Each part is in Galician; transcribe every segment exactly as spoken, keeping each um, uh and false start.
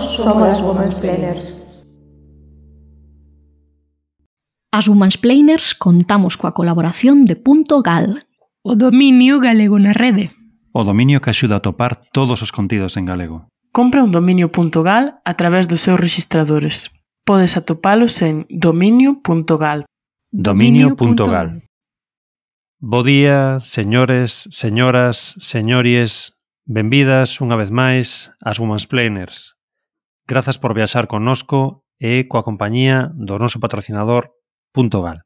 somos as Womansplainers. As Womansplainers contamos coa colaboración de Punto Gal, o dominio galego na rede. O dominio que axuda a topar todos os contidos en galego. Compra un dominio punto gal a través dos seus registradores. Podes atopalos en dominio punto gal. Dominio punto gal. Bo día, señores, señoras, señories. Benvidas unha vez máis ás Womansplainers. Grazas por viaxar connosco e coa compañía do noso patrocinador Punto Gal.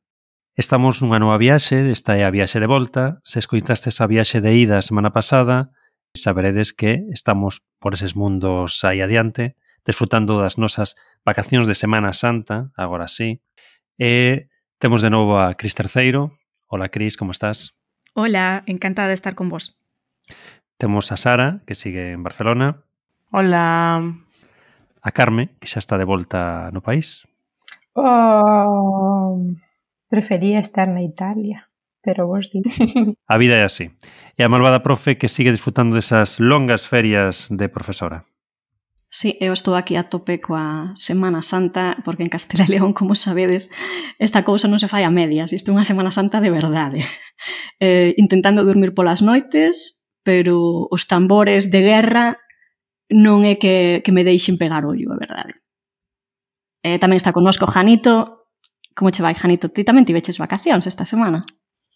Estamos nunha nova viaxe, esta é a viaxe de volta. Se escoitastes a viaxe de ida a semana pasada, saberedes que estamos por eses mundos aí adiante, desfrutando das nosas vacacións de Semana Santa, agora sí. E temos de novo a Cris Terceiro. Hola, Cris, como estás? Hola, encantada de estar con vos. Temos a Sara, que sigue en Barcelona. Hola. A Carme, que xa está de volta no país. Oh, prefería estar na Italia, pero vos di. A vida é así. E a malvada profe que sigue disfrutando desas longas ferias de profesora. Sí, eu estou aquí a tope coa Semana Santa, porque en Castela e León, como sabedes, esta cousa non se fai a medias, isto é unha Semana Santa de verdade. Eh, intentando dormir polas noites, pero os tambores de guerra non é que, que me deixen pegar ollo, a verdade. Eh, tamén está connosco Janito. Como che vai, Janito? Ti tamén tiveches vacacións esta semana?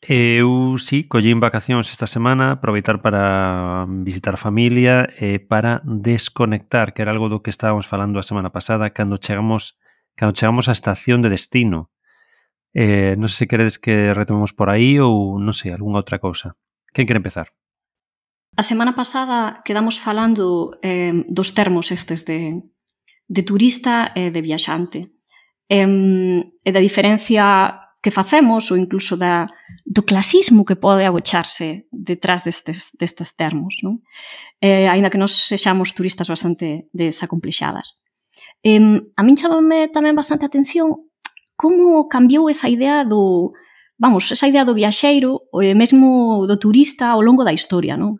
Eu, sí, collín vacacións esta semana, aproveitar para visitar a familia e para desconectar, que era algo do que estábamos falando a semana pasada, cando chegamos cando chegamos á estación de destino. Eh, non sei se queredes que retomemos por aí ou, non sei, algunha outra cousa. Quen quere empezar? A semana pasada quedamos falando eh, dos termos estes de, de turista e de viaxante. Eh, e da diferencia que facemos, ou incluso da, do clasismo que pode agocharse detrás destes, destes termos, non? Eh, aínda que nos sexamos turistas bastante desacomplexadas. Eh, a min chamame tamén bastante atención como cambiou esa idea do, vamos, esa idea do viaxeiro e mesmo do turista ao longo da historia, non?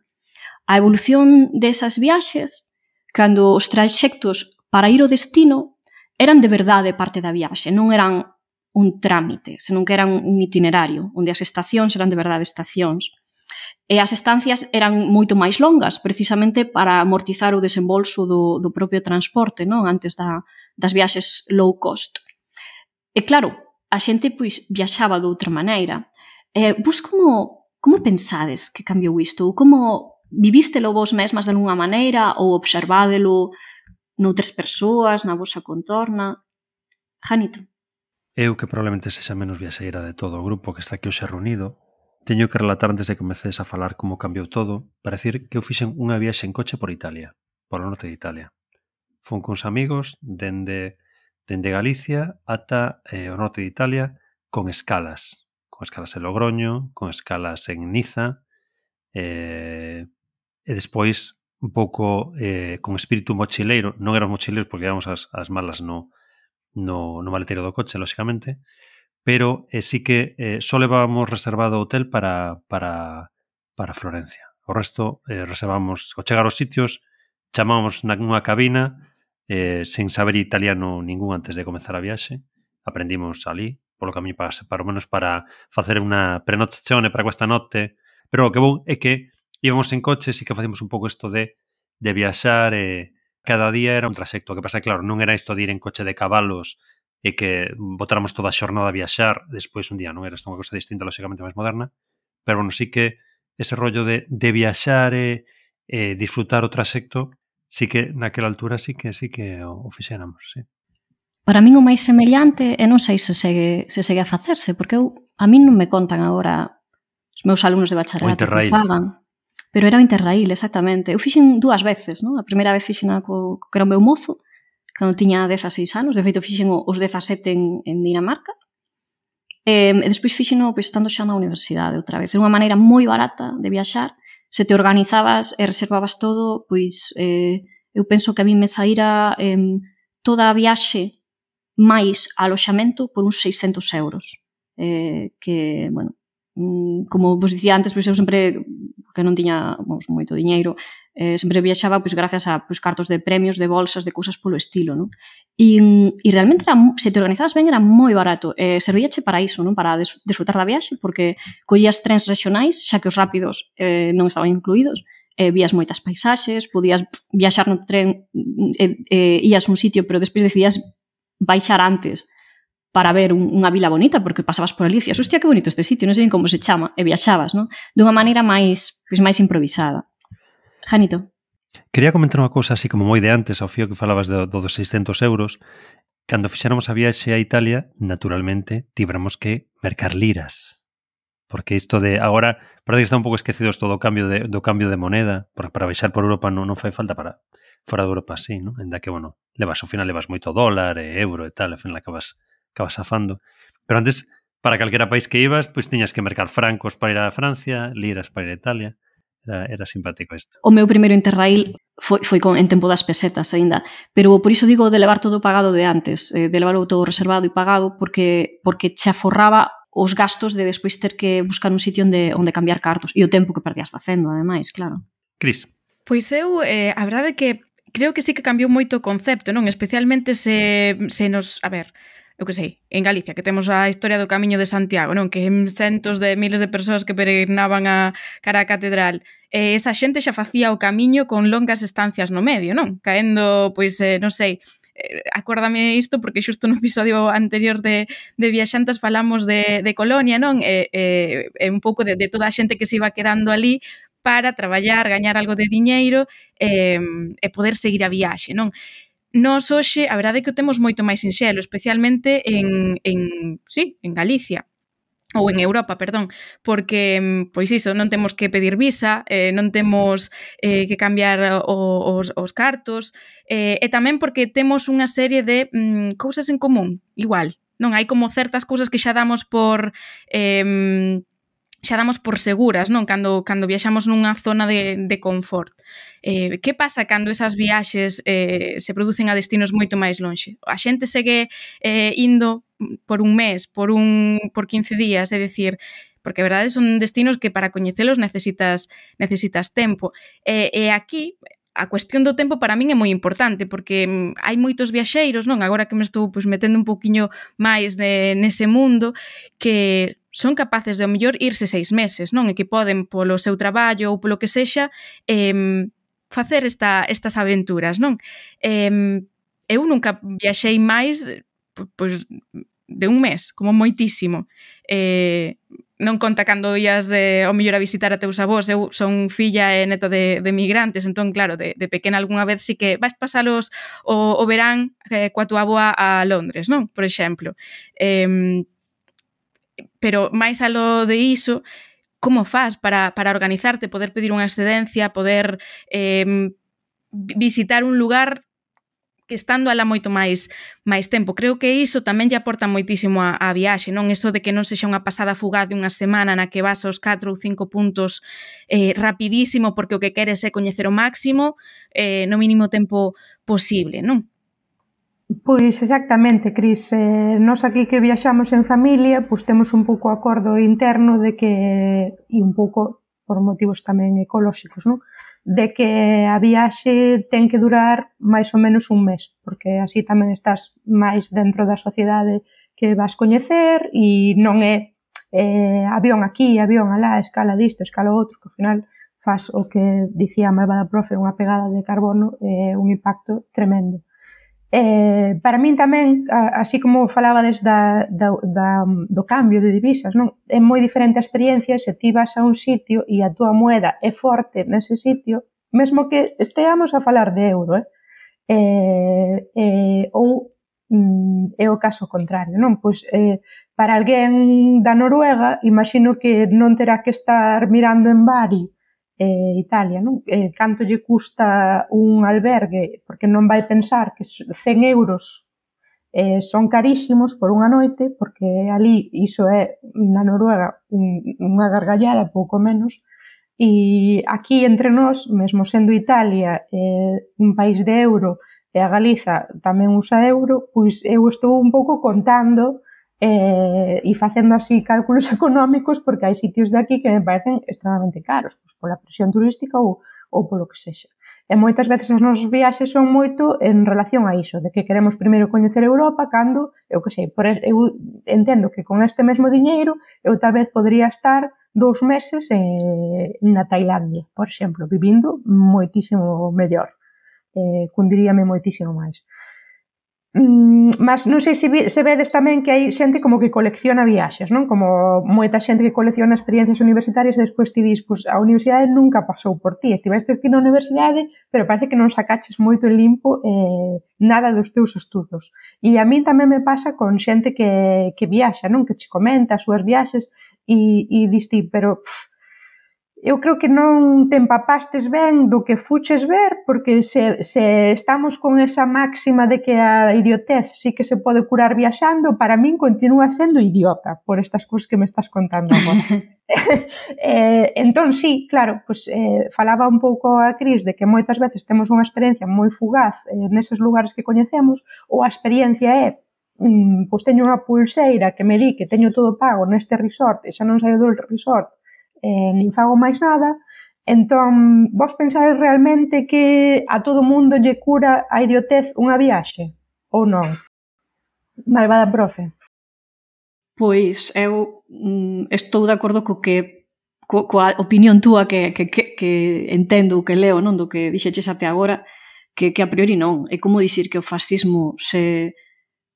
A evolución desas viaxes, cando os traxectos para ir ao destino eran de verdade parte da viaxe, non eran un trámite, senón que eran un itinerario, onde as estacións eran de verdade estacións. E as estancias eran moito máis longas, precisamente para amortizar o desembolso do, do propio transporte, non? Antes da, das viaxes low cost. E claro, a xente pois viaxaba de outra maneira. E vos como, como pensades que cambiou isto? Como vivístelo vos mesmas de alguna maneira ou observádelo noutras persoas, na vosa contorna? Janito. Eu, que probablemente sexa menos viaxeira de todo o grupo que está aquí hoxe reunido, teño que relatar antes de que comeces a falar como cambiou todo, para decir que eu fixen unha viaxe en coche por Italia, por o norte de Italia. Fun con uns amigos dende, dende Galicia ata eh, o norte de Italia con escalas. Con escalas en Logroño, con escalas en Niza, eh, e despois un pouco eh, con espírito mochileiro. Non eran mochileiros porque íbamos as, as malas no no, no maletero do coche, lóxicamente, pero eh, sí que eh, só levábamos reservado o hotel para, para, para Florencia. O resto eh, reservamos, ao chegar aos sitios, chamábamos na unha cabina eh, sen saber italiano ningún antes de comezar a viaxe. Aprendimos ali, polo camiño para, para o menos para facer unha prenotazione para questa notte, pero o que bon é que íbamos en coche, sí que facíamos un pouco isto de, de viaxar e cada día era un traxecto. O que pasa, claro, non era isto de ir en coche de cabalos e que botáramos toda a xornada a viaxar despois un día, non era isto unha cosa distinta, lóxicamente máis moderna, pero, bueno, sí que ese rollo de, de viaxar e, e disfrutar o traxecto, sí que naquela altura sí que sí que o, o fixéramos, sí. Para min o máis semellante, e non sei se segue, se segue a facerse, porque eu, a min non me contan agora os meus alumnos de bacharelato que fagan. Pero era o Interrail, exactamente. Eu fixen dúas veces, non? A primeira vez fixen co, co que era o meu mozo, cando tiña dezaseis anos. De feito, fixen os dezasete en, en Dinamarca. E, e despois fixen pois, estando xa na universidade outra vez. Era unha maneira moi barata de viaxar. Se te organizabas e reservabas todo, pois eh, eu penso que a mí me saíra eh, toda a viaxe máis aloxamento por uns seiscentos euros. Eh, que, bueno, como vos dicía antes, pois eu sempre, porque non tiña vamos, moito diñeiro, Eh, sempre viaxaba pois, gracias a pois, cartos de premios, de bolsas, de cousas polo estilo, non? E, e realmente, era, se te organizabas ben, era moi barato. Eh, servíache para iso, non? Para des, disfrutar da viaxe, porque collías trens regionais, xa que os rápidos eh, non estaban incluídos, eh, vías moitas paisaxes, podías viaxar no tren, eh, eh, ías a un sitio, pero despois decidías baixar antes para ver un, unha vila bonita, porque pasabas por ali e dicías, hostia, que bonito este sitio, non sei como se chama, e viaxabas, non? Dunha maneira máis, pois, máis improvisada. Janito. Quería comentar unha cousa así como moi de antes, ao fío que falabas do, do dos seiscentos euros. Cando fixéramos a viaxe a Italia, naturalmente, tibramos que mercar liras. Porque isto de agora, parece que está un pouco esquecido isto do cambio de, do cambio de moneda, porque para baixar por Europa non, non fai falta para fora de Europa, sí, non? Enda que, bueno, levas, ao final levas moito dólar e euro e tal, ao final acabas, acabas afando. Pero antes, para calquera país que ibas, pois tiñas que mercar francos para ir a Francia, liras para ir a Italia. Era, era simpático isto. O meu primeiro Interrail foi, foi con, en tempo das pesetas aínda, pero por iso digo de levar todo pagado de antes, eh, de levarlo todo reservado e pagado, porque porque che aforraba os gastos de despois ter que buscar un sitio onde, onde cambiar cartos e o tempo que perdías facendo, ademais, claro. Cris. Pois eu, eh, a verdade é que creo que sí que cambiou moito o concepto, non? Especialmente se, se nos... A ver, eu que sei, en Galicia, que temos a historia do Camiño de Santiago, non? Que centos de miles de persoas que peregrinaban a cara a catedral. E esa xente xa facía o camiño con longas estancias no medio, non? Caendo, pois, eh, non sei, eh, acuérdame isto porque xusto no episodio anterior de, de Viaxantas falamos de, de Colonia, non? E, e, e un pouco de, de toda a xente que se iba quedando ali para traballar, gañar algo de diñeiro e, e poder seguir a viaxe, non? Nós hoxe, a verdade é que o temos moito máis sinxelo, especialmente en, en, sí, en Galicia, ou en Europa, perdón, porque, pois iso, non temos que pedir visa, eh, non temos eh, que cambiar o, os, os cartos, eh, e tamén porque temos unha serie de mm, cousas en común, igual, non? Hai como certas cousas que xa damos por... Eh, xa damos por seguras, non? Cando, cando viaxamos nunha zona de, de confort. Eh, que pasa cando esas viaxes eh, se producen a destinos moito máis lonxe? A xente segue eh, indo por un mes, por un por quince días, é dicir, porque a verdade son destinos que para coñecelos necesitas necesitas tempo. E, e aquí a cuestión do tempo para min é moi importante porque hai moitos viaxeiros, non? Agora que me estou pois, metendo un poquinho máis de, nese mundo, que son capaces de, ao mellor, irse seis meses, non? E que poden, polo seu traballo ou polo que sexa, eh, facer esta, estas aventuras, non? Eh, eu nunca viaxei máis pois, de un mes, como moitísimo. Eh, non conta cando ías eh, ao mellor a visitar a teus avós. Eu son filla e neta de, de migrantes, entón, claro, de, de pequena algunha vez sí que vais pasalos o, o verán eh, coa tua avoa a Londres, non? Por exemplo. Eh, pero máis alo de iso, como faz para, para organizarte, poder pedir unha excedencia, poder eh, visitar un lugar que estando alá moito máis máis tempo. Creo que iso tamén lle aporta moitísimo a, a viaxe, non? Eso de que non sexa unha pasada fugaz de unha semana na que vas aos catro ou cinco puntos eh, rapidísimo porque o que queres é coñecer o máximo eh, no mínimo tempo posible, non? Pois exactamente, Cris. Eh, nós aquí que viaxamos en familia, pois temos un pouco acordo interno de que, e un pouco por motivos tamén ecolóxicos, non? De que a viaxe ten que durar máis ou menos un mes, porque así tamén estás máis dentro da sociedade que vas coñecer e non é eh, avión aquí, avión alá, escala disto, escala outro, que ao final faz o que dicía a malvada profe, unha pegada de carbono, eh, un impacto tremendo. Eh, para min tamén, así como falabades da, da, da, do cambio de divisas, non? É moi diferente a experiencia se ti vas a un sitio e a túa moeda é forte nese sitio, mesmo que esteamos a falar de euro, eh? Eh, eh, ou mm, é o caso contrario, non? Pois eh, para alguén da Noruega, imagino que non terá que estar mirando en Bari eh, Italia, non? Eh, canto lle custa un albergue, porque non vai pensar que cen euros eh, son carísimos por unha noite, porque ali iso é, na Noruega, un, unha gargallada, pouco menos, e aquí entre nós, mesmo sendo Italia eh, un país de euro e a Galiza tamén usa euro, pois eu estou un pouco contando eh, e facendo así cálculos económicos porque hai sitios de aquí que me parecen extremadamente caros, pois pola presión turística ou, ou polo que sexa. E moitas veces as nosas viaxes son moito en relación a iso, de que queremos primeiro coñecer Europa cando, eu que sei, por, eu entendo que con este mesmo diñeiro eu tal vez podría estar dous meses eh, na Tailandia, por exemplo, vivindo moitísimo mellor, eh, cundiríame moitísimo máis. Mm, mas non sei se, vi, se vedes tamén que hai xente como que colecciona viaxes, non? Como moita xente que colecciona experiencias universitarias e despois ti dis, pues, a universidade nunca pasou por ti, estivestes ti na universidade, pero parece que non sacaches moito en limpo eh, nada dos teus estudos. E a mí tamén me pasa con xente que, que viaxa, non? Que che comenta as súas viaxes e, e dis ti, pero pff, eu creo que non te empapastes ben do que fuches ver, porque se, se estamos con esa máxima de que a idiotez sí que se pode curar viaxando, para min continúa sendo idiota por estas cousas que me estás contando agora. eh, entón, sí, claro, pues, eh, falaba un pouco a Cris de que moitas veces temos unha experiencia moi fugaz eh, neses lugares que coñecemos, ou a experiencia é mm, pois teño unha pulseira que me di que teño todo pago neste resort e xa non saio do resort, Eh, nin fago máis nada, entón vos pensades realmente que a todo mundo lle cura a idiotez unha viaxe? Ou non? Malvada profe. Pois eu mm, estou de acordo co que co, coa opinión túa que, que, que, que entendo o que leo, non, do que dixeches até agora, que, que a priori non. É como dicir que o fascismo se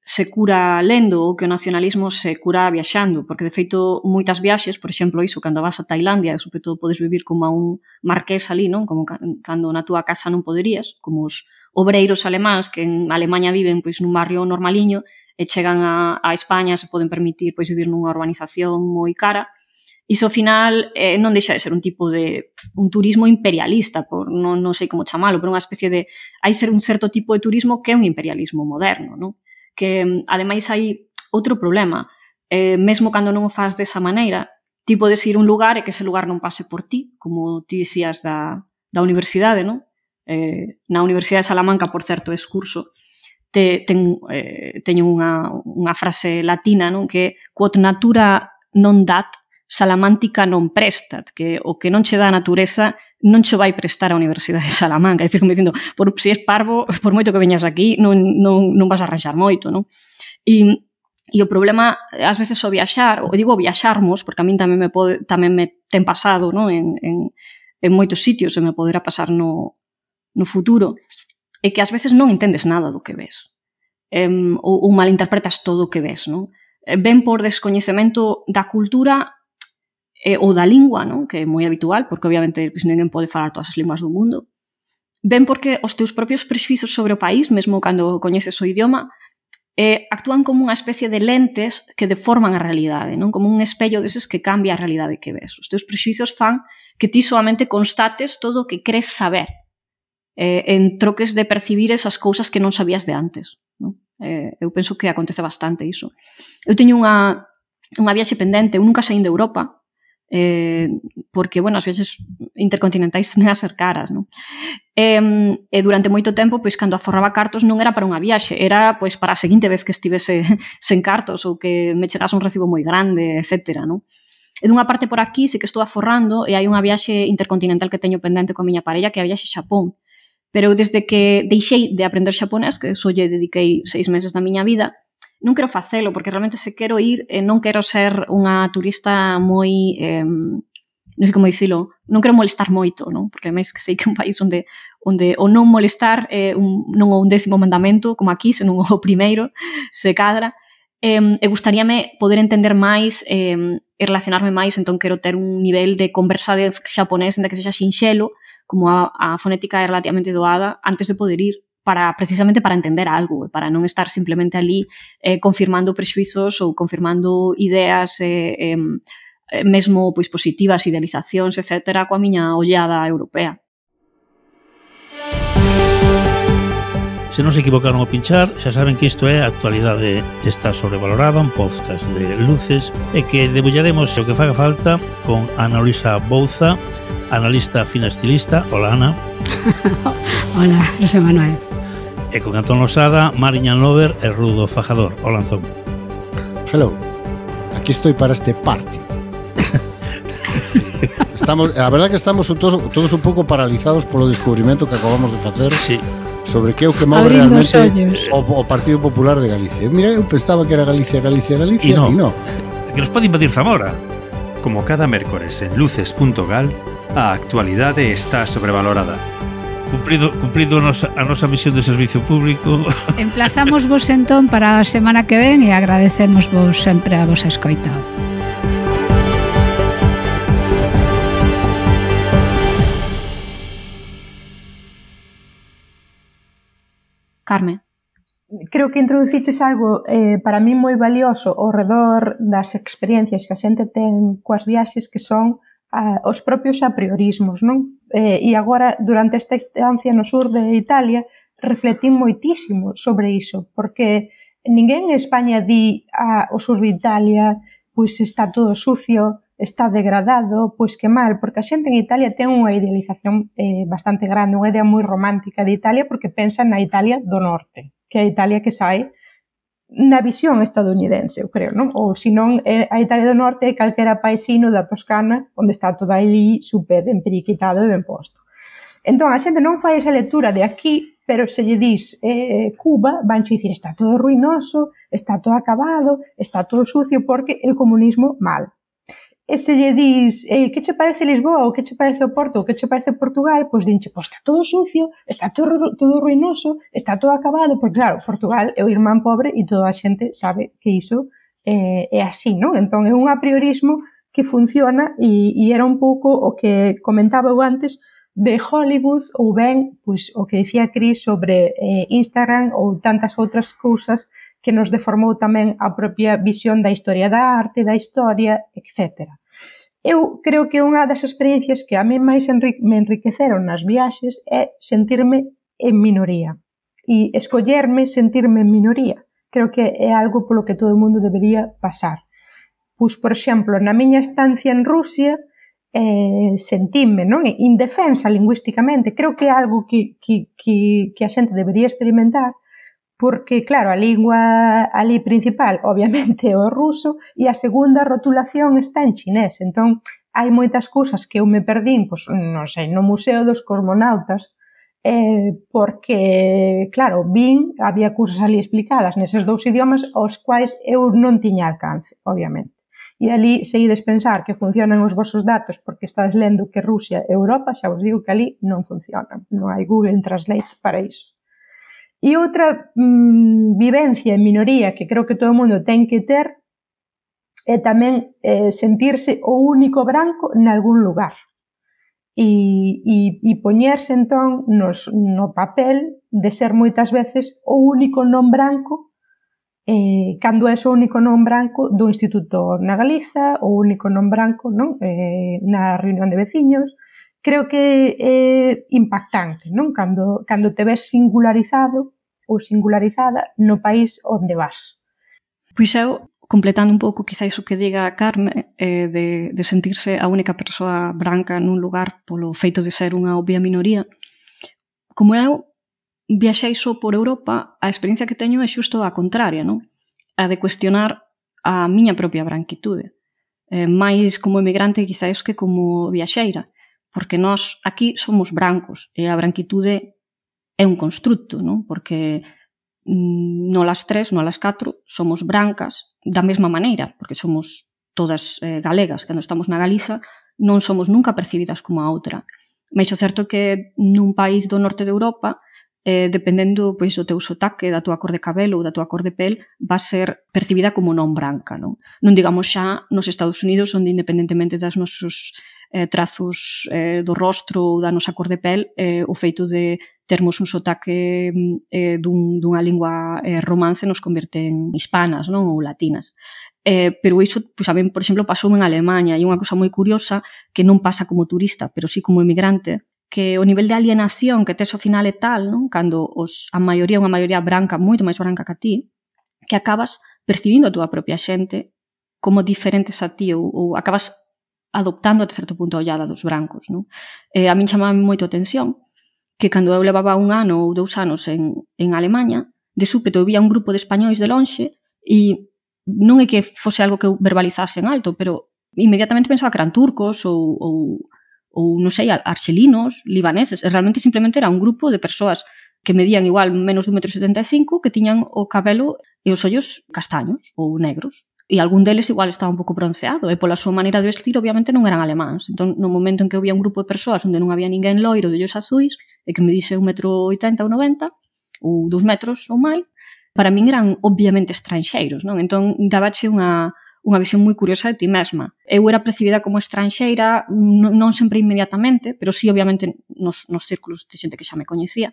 se cura lendo ou que o nacionalismo se cura viaxando, porque de feito moitas viaxes, por exemplo, iso, cando vas a Tailandia, sobre todo podes vivir como a un marqués ali, non? Como cando na túa casa non poderías, como os obreiros alemáns que en Alemanha viven pois nun barrio normaliño e chegan a, a España, se poden permitir pois vivir nunha urbanización moi cara. Iso ao final eh, non deixa de ser un tipo de un turismo imperialista, por non, non sei como chamalo, pero unha especie de hai ser un certo tipo de turismo que é un imperialismo moderno, non? Que ademais hai outro problema, eh, mesmo cando non o faz desa maneira, ti podes ir a un lugar e que ese lugar non pase por ti, como ti dicías da, da universidade, non? Eh, na Universidade de Salamanca, por certo, excurso, te, ten, eh, teño unha, unha frase latina, non? Que quod natura non dat, Salamantica non prestat, que o que non che dá a natureza non che vai prestar a Universidade de Salamanca. É dicir, como dicindo, por, se és parvo, por moito que veñas aquí, non, non, non vas a arranxar moito, non? E, e o problema, ás veces, o viaxar, ou digo viaxarmos, porque a min tamén me, pode, tamén me ten pasado, non? En, en, en moitos sitios, e me poderá pasar no, no futuro, é que ás veces non entendes nada do que ves. Um, ou, ou malinterpretas todo o que ves, non? Ben por descoñecemento da cultura eh, ou da lingua, non? Que é moi habitual, porque obviamente pues, ninguén pode falar todas as linguas do mundo. Ben porque os teus propios prexuizos sobre o país, mesmo cando coñeces o idioma, eh, actúan como unha especie de lentes que deforman a realidade, non? Como un espello deses que cambia a realidade que ves. Os teus prexuizos fan que ti solamente constates todo o que crees saber, eh, en troques de percibir esas cousas que non sabías de antes, non? Eh, eu penso que acontece bastante iso. Eu teño unha, unha viaxe pendente, eu nunca saín de Europa, eh, porque, bueno, as viaxes intercontinentais tenden a ser caras, non? E, e durante moito tempo, pois, cando aforraba cartos non era para unha viaxe, era, pois, para a seguinte vez que estivese sen cartos ou que me chegase un recibo moi grande, etcétera, non? E dunha parte por aquí sí que estou aforrando e hai unha viaxe intercontinental que teño pendente con a miña parella, que é a viaxe a Xapón. Pero desde que deixei de aprender xaponés, que só lle dediquei seis meses da miña vida, non quero facelo, porque realmente se quero ir, eh, non quero ser unha turista moi, eh, non sei como dicilo, non quero molestar moito, non? Porque máis que sei que é un país onde, onde o non molestar é un, non é un décimo mandamento, como aquí, senón o primeiro, se cadra. Eh, e gustaríame poder entender máis eh, e relacionarme máis, entón quero ter un nivel de conversa de xaponés en que sexa sinxelo, como a, a fonética é relativamente doada, antes de poder ir, para precisamente para entender algo, para non estar simplemente ali eh, confirmando prexuizos ou confirmando ideas eh, eh, mesmo pois positivas, idealizacións, etcétera, coa miña ollada europea. Se non se equivocaron ao pinchar, xa saben que isto é a actualidade está sobrevalorada, un podcast de luces e que debullaremos o que faga falta con Ana Luisa Bouza, analista fina estilista. Hola, Ana. Hola, José Manuel. E con Antón Losada, Mariñan Lover e Rudo Fajador. Hola, Antón. Hello. Aquí estoy para este party. Estamos, a verdade que estamos todos, todos un pouco paralizados polo descubrimento que acabamos de facer. Sí. Sobre que é o que move Abrindo realmente o, o Partido Popular de Galicia. Mira, eu pensaba que era Galicia, Galicia, Galicia, e e non. non. Que nos pode invadir Zamora. Como cada mércores en luces punto gal, a actualidade está sobrevalorada. Cumprido, cumprido a nosa, a nosa misión de servicio público. Emplazamos vos entón para a semana que ven e agradecemos vos sempre a vos escoita. Carme. Creo que introduciches algo eh, para mí moi valioso ao redor das experiencias que a xente ten coas viaxes, que son a, os propios apriorismos, non? Eh, e agora, durante esta estancia no sur de Italia, refletín moitísimo sobre iso, porque ninguén en España di ah, o sur de Italia pois está todo sucio, está degradado, pois que mal, porque a xente en Italia ten unha idealización eh, bastante grande, unha idea moi romántica de Italia, porque pensa na Italia do norte, que é a Italia que sai na visión estadounidense, eu creo, non? Ou senón, a Italia do norte é calquera paisino da Toscana, onde está todo ali super emperiquitado e ben posto. Entón, a xente non fai esa lectura de aquí, pero se lle dis eh, Cuba, vanche dicir, está todo ruinoso, está todo acabado, está todo sucio, porque el comunismo mal. E se lle dis, eh, que che parece Lisboa, ou que che parece o Porto, ou que che parece Portugal, pois dinche, pois está todo sucio, está todo, todo ruinoso, está todo acabado, porque claro, Portugal é o irmán pobre e toda a xente sabe que iso eh, é así, non? Entón é un apriorismo que funciona e, e era un pouco o que comentaba eu antes de Hollywood, ou ben, pois, o que dicía Cris sobre eh, Instagram ou tantas outras cousas que nos deformou tamén a propia visión da historia da arte, da historia, etcétera. Eu creo que unha das experiencias que a mí máis me enriqueceron nas viaxes é sentirme en minoría e escollerme sentirme en minoría. Creo que é algo polo que todo o mundo debería pasar. Pois, por exemplo, na miña estancia en Rusia eh, sentime, non? Indefensa lingüísticamente. Creo que é algo que, que, que, que a xente debería experimentar, porque, claro, a lingua ali principal, obviamente, é o ruso, e a segunda rotulación está en chinés. Entón, hai moitas cousas que eu me perdín, pois, non sei, no Museo dos Cosmonautas, eh, porque, claro, vin, había cousas ali explicadas neses dous idiomas aos quais eu non tiña alcance, obviamente. E ali seguides pensar que funcionan os vosos datos porque estades lendo que Rusia e Europa, xa vos digo que ali non funcionan. Non hai Google Translate para iso. E outra mmm, vivencia en minoría que creo que todo o mundo ten que ter é tamén eh, sentirse o único branco nalgún lugar. E, e, e poñerse entón nos, no papel de ser moitas veces o único non branco eh, cando é o único non branco do instituto na Galiza, o único non branco, non? Eh, na reunión de veciños. Creo que é impactante, non? Cando, cando te ves singularizado ou singularizada no país onde vas. Pois eu, completando un pouco quizás o que diga a Carme, eh, de, de sentirse a única persoa branca nun lugar polo feito de ser unha obvia minoría, como eu viaxei só por Europa, a experiencia que teño é xusto a contraria, non? A de cuestionar a miña propia branquitude. Eh, máis como emigrante quizás que como viaxeira, porque nós aquí somos brancos e a branquitude é un constructo, non? Porque mm, non las tres, non las catro, somos brancas da mesma maneira, porque somos todas eh, galegas, cando estamos na Galiza, non somos nunca percibidas como a outra. Mais o certo é que nun país do norte de Europa, eh, dependendo pois, do teu sotaque, da tua cor de cabelo ou da tua cor de pel, va ser percibida como non branca, non? Non digamos xa nos Estados Unidos, onde independentemente das nosos eh, trazos eh, do rostro ou da nosa cor de pel, eh, o feito de termos un sotaque eh, dun, dunha lingua eh, romance nos converte en hispanas, non? Ou latinas. Eh, pero iso, pois, a mí, por exemplo, pasou en Alemanha, e unha cosa moi curiosa que non pasa como turista, pero sí como emigrante, que o nivel de alienación que tes ao final é tal, non? Cando os, a maioría é unha maioría branca, moito máis branca que a ti, que acabas percibindo a túa propia xente como diferentes a ti, ou, ou acabas adoptando até certo punto a ollada dos brancos, non? Eh, a min chamaba moito a atención que cando eu levaba un ano ou dous anos en, en Alemanha, de súpeto eu vía un grupo de españois de lonxe e non é que fose algo que eu verbalizase en alto, pero inmediatamente pensaba que eran turcos ou, ou, ou non sei, arxelinos, libaneses, e realmente simplemente era un grupo de persoas que medían igual menos de un metro setenta e cinco, que tiñan o cabelo e os ollos castaños ou negros. E algún deles igual estaba un pouco bronceado, e pola súa maneira de vestir obviamente non eran alemáns. Entón, no momento en que había un grupo de persoas onde non había ninguén loiro de ollos azuis e que me dixe un metro oitenta ou noventa ou dous metros ou máis, para min eran obviamente estranxeiros, non? Entón, dabache unha, unha visión moi curiosa de ti mesma. Eu era percibida como estranxeira, non sempre inmediatamente, pero sí obviamente nos, nos círculos de xente que xa me coñecía.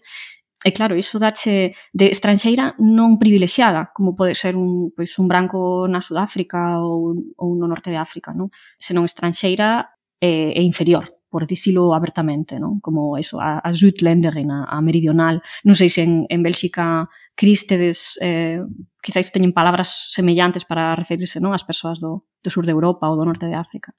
E claro, iso dache de estranxeira non privilexiada, como pode ser un, pois, un branco na Sudáfrica ou, ou no norte de África, non? Senón estranxeira e, e inferior, por dicilo abertamente, non? Como eso, a, a Südländerin, a, a meridional. Non sei se en, en Bélxica Crístedes eh, quizáis teñen palabras semellantes para referirse, non, ás persoas do, do sur de Europa ou do norte de África.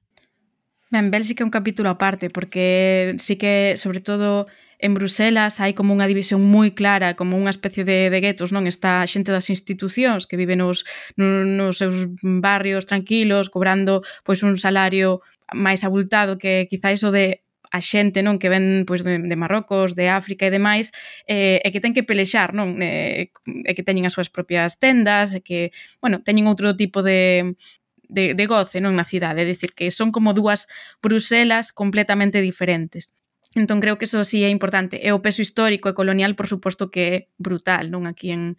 Ben, Bélxica é un capítulo aparte, porque sí que, sobre todo, en Bruselas hai como unha división moi clara, como unha especie de, de guetos, non? Está a xente das institucións que vive nos, nos seus barrios tranquilos, cobrando pois un salario máis abultado que quizáis o de a xente, non, que ven pois de, de Marrocos, de África e demais, eh, e que ten que pelexar, non, eh, e que teñen as súas propias tendas, e que, bueno, teñen outro tipo de de, de goce, non, na cidade, é dicir, que son como dúas Bruselas completamente diferentes. Entón creo que eso sí é importante. E o peso histórico e colonial, por suposto, que é brutal, non, aquí en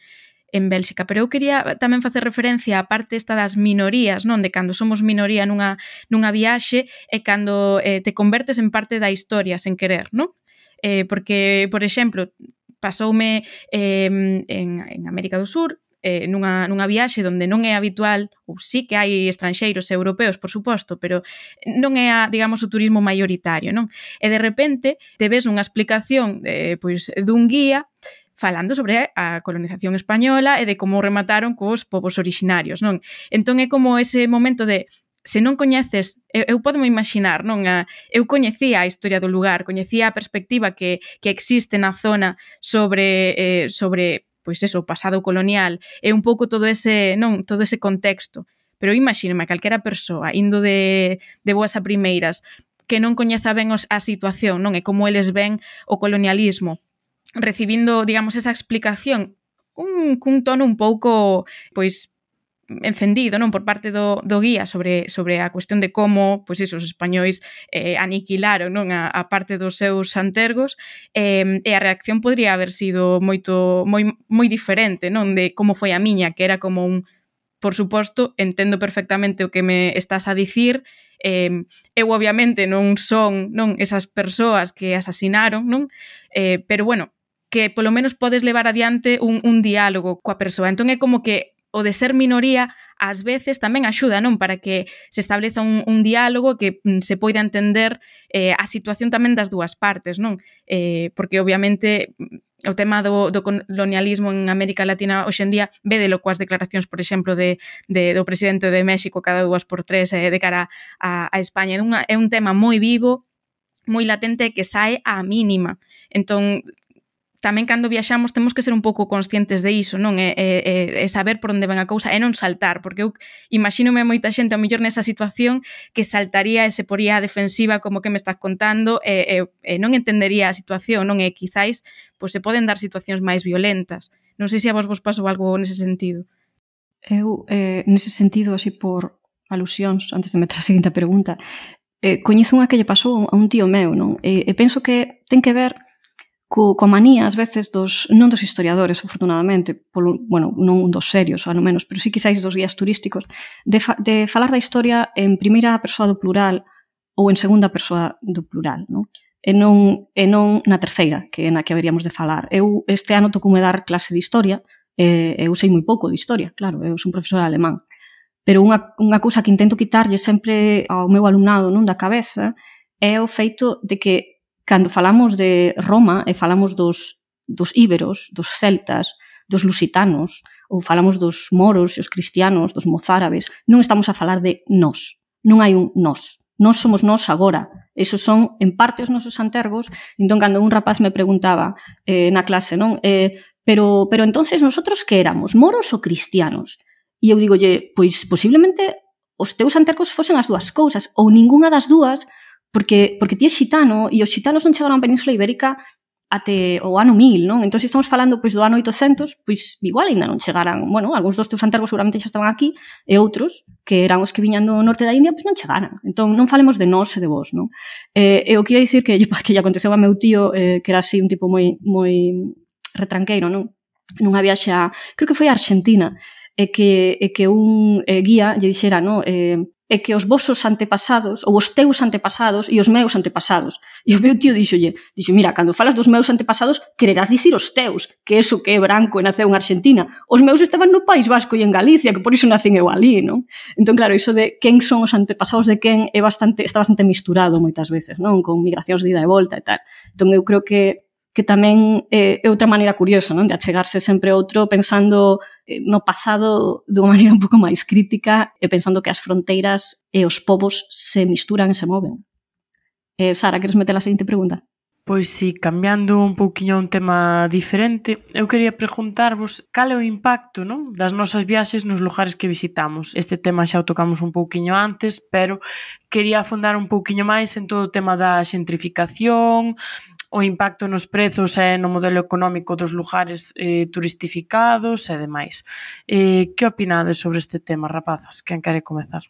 en Bélxica, pero eu quería tamén facer referencia á parte esta das minorías, non, de cando somos minoría nunha, nunha viaxe e cando eh, te convertes en parte da historia sen querer, non? Eh, porque, por exemplo, pasoume eh, en, en América do Sur, eh, nunha, nunha viaxe onde non é habitual, ou sí que hai estranxeiros europeos, por suposto, pero non é, a, digamos, o turismo maioritario, non? E de repente te ves unha explicación eh, pois, dun guía falando sobre a colonización española e de como remataron cos povos orixinarios, non? Entón é como ese momento de, se non coñeces, eu, eu podo me imaginar, non? A, eu coñecía a historia do lugar, coñecía a perspectiva que, que existe na zona sobre, eh, sobre pois eso, o pasado colonial, e un pouco todo ese, non, todo ese contexto. Pero imagíname a calquera persoa indo de, de boas a primeiras que non coñeza ben os, a situación, non? E como eles ven o colonialismo, recibindo, digamos, esa explicación cun, cun tono un pouco, pois, encendido, non, por parte do, do guía sobre, sobre a cuestión de como, pois iso, os españois eh, aniquilaron, non, a, a parte dos seus santergos, eh, e a reacción podría haber sido moito moi, moi diferente, non, de como foi a miña, que era como un, por suposto, entendo perfectamente o que me estás a dicir, eh, eu obviamente non son, non, esas persoas que asasinaron, non, eh, pero bueno, que polo menos podes levar adiante un, un diálogo coa persoa. Entón é como que o de ser minoría ás veces tamén axuda, non, para que se estableza un, un diálogo que mm, se poida entender eh, a situación tamén das dúas partes, non? Eh, porque obviamente o tema do, do colonialismo en América Latina hoxe en día védelo coas declaracións, por exemplo, de, de, do presidente de México cada dúas por tres eh, de cara a, a España. É, unha, é un tema moi vivo, moi latente que sae á mínima. Entón, tamén cando viaxamos temos que ser un pouco conscientes de iso, non? E, e, e saber por onde ven a cousa e non saltar, porque eu imagínome moita xente a mellor nesa situación que saltaría e se poría a defensiva como que me estás contando e, e, e non entendería a situación, non? E quizáis pois, se poden dar situacións máis violentas. Non sei se a vos vos pasou algo nese sentido. Eu, eh, nese sentido, así por alusións, antes de meter a seguinte pregunta, eh, coñezo unha que lle pasou a un tío meu, non? E, e penso que ten que ver co, coa manía, ás veces, dos, non dos historiadores, afortunadamente, polo, bueno, non dos serios, ao menos, pero sí quizáis dos guías turísticos, de, fa, de falar da historia en primeira persoa do plural ou en segunda persoa do plural, non? E non, e non na terceira, que é na que haberíamos de falar. Eu este ano tocoume dar clase de historia, e eu sei moi pouco de historia, claro, eu son profesora alemán, pero unha, unha cousa que intento quitarlle sempre ao meu alumnado, non, da cabeza, é o feito de que cando falamos de Roma e falamos dos, dos íberos, dos celtas, dos lusitanos, ou falamos dos moros e os cristianos, dos mozárabes, non estamos a falar de nós. Non hai un nós. Nós somos nós agora. Esos son, en parte, os nosos antergos. Entón, cando un rapaz me preguntaba eh, na clase, non? Eh, pero, pero entonces, nosotros que éramos? Moros ou cristianos? E eu digolle, pois, posiblemente os teus antercos fosen as dúas cousas, ou ningunha das dúas, porque, porque ti é xitano, e os xitanos non chegaron á Península Ibérica até o ano mil, non? Entón, se estamos falando pois, do ano oitocentos, pois igual ainda non chegaran, bueno, algúns dos teus antergos seguramente xa estaban aquí, e outros, que eran os que viñan do norte da India, pois non chegaran. Entón, non falemos de nós e de vos, non? Eh, e o que ia dicir que, que lle aconteceu a meu tío, eh, que era así un tipo moi, moi retranqueiro, non? Nunha viaxe a, creo que foi a Argentina, e que, e que un eh, guía lle dixera, non? Eh, é que os vosos antepasados, ou os teus antepasados e os meus antepasados. E o meu tío dixolle, dixo, mira, cando falas dos meus antepasados, quererás dicir os teus, que eso que é branco e naceu en Argentina. Os meus estaban no País Vasco e en Galicia, que por iso nacen eu ali, non? Entón, claro, iso de quen son os antepasados de quen é bastante, está bastante misturado moitas veces, non? Con migracións de ida e volta e tal. Entón, eu creo que que tamén é, é outra maneira curiosa, non? De achegarse sempre outro pensando no pasado dunha maneira un pouco máis crítica e pensando que as fronteiras e os povos se misturan e se moven. Eh, Sara, queres meter a seguinte pregunta? Pois si, cambiando un pouquiño a un tema diferente, eu quería preguntarvos cal é o impacto, non, das nosas viaxes nos lugares que visitamos. Este tema xa o tocamos un pouquiño antes, pero quería afondar un pouquiño máis en todo o tema da xentrificación, o impacto nos prezos e no modelo económico dos lugares eh, turistificados e demais. Eh, que opinades sobre este tema, rapazas? Quen quere comezar?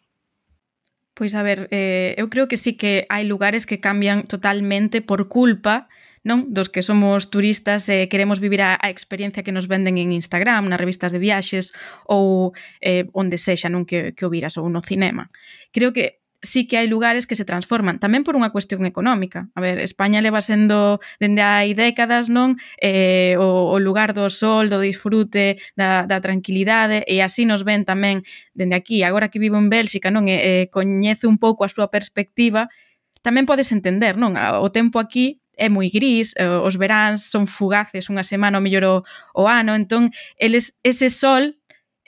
Pois a ver, eh, eu creo que sí que hai lugares que cambian totalmente por culpa, non, dos que somos turistas e eh, queremos vivir a, a experiencia que nos venden en Instagram, nas revistas de viaxes ou eh, onde sexa, non, que, que o viras, ou no cinema. Creo que sí que hai lugares que se transforman, tamén por unha cuestión económica. A ver, España leva sendo dende hai décadas, non, eh, o, o lugar do sol, do disfrute, da, da tranquilidade, e así nos ven tamén dende aquí. Agora que vivo en Bélxica, non, e, e coñece un pouco a súa perspectiva, tamén podes entender, non, o tempo aquí é moi gris, os veráns son fugaces unha semana ou mellor o, o ano, entón eles, ese sol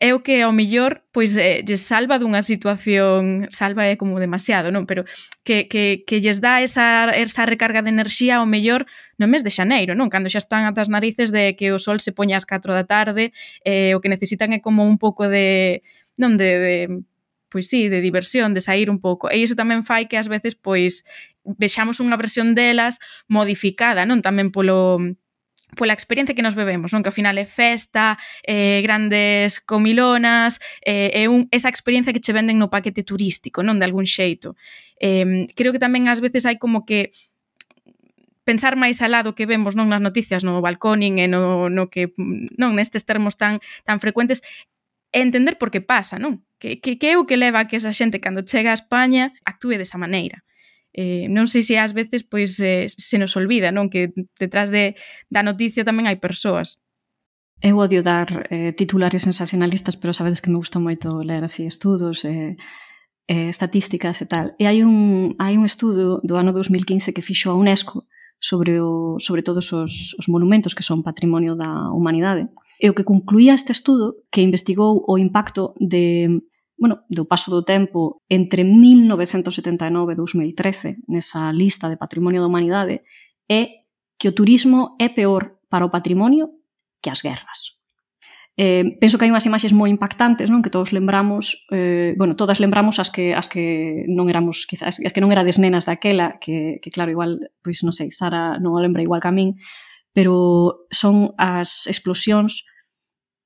é o que ao mellor pois eh, lles salva dunha situación, salva é como demasiado, non, pero que, que, que lles dá esa, esa recarga de enerxía ao mellor no mes de xaneiro, non, cando xa están atas narices de que o sol se poña ás catro da tarde, eh, o que necesitan é como un pouco de, non, de, de pois sí, de diversión, de sair un pouco. E iso tamén fai que ás veces pois vexamos unha versión delas modificada, non, tamén polo pola experiencia que nos bebemos, non? Que ao final é festa, eh, grandes comilonas, é eh, un, esa experiencia que che venden no paquete turístico, non? De algún xeito. Eh, creo que tamén ás veces hai como que pensar máis alá do que vemos, non, nas noticias, no balconing e no, no que, non, nestes termos tan, tan frecuentes, e entender por que pasa, non? Que, que, que é o que leva a que esa xente, cando chega a España, actúe desa maneira. Eh, non sei se ás veces pois eh, se nos olvida, non, que detrás de, da noticia tamén hai persoas. Eu odio dar eh, titulares sensacionalistas, pero sabedes que me gusta moito ler así estudos e eh, eh, estatísticas e tal. E hai un, hai un estudo do ano dos mil quince que fixo a UNESCO sobre, o, sobre todos os, os monumentos que son patrimonio da humanidade. E o que concluía este estudo, que investigou o impacto de bueno, do paso do tempo entre mil novecentos setenta e nove e dous mil trece nesa lista de patrimonio da humanidade é que o turismo é peor para o patrimonio que as guerras. Eh, penso que hai unhas imaxes moi impactantes, non, que todos lembramos, eh, bueno, todas lembramos as que as que non éramos, quizás, as que non erades nenas daquela, que, que claro, igual, pois non sei, Sara non o lembra igual que a min, pero son as explosións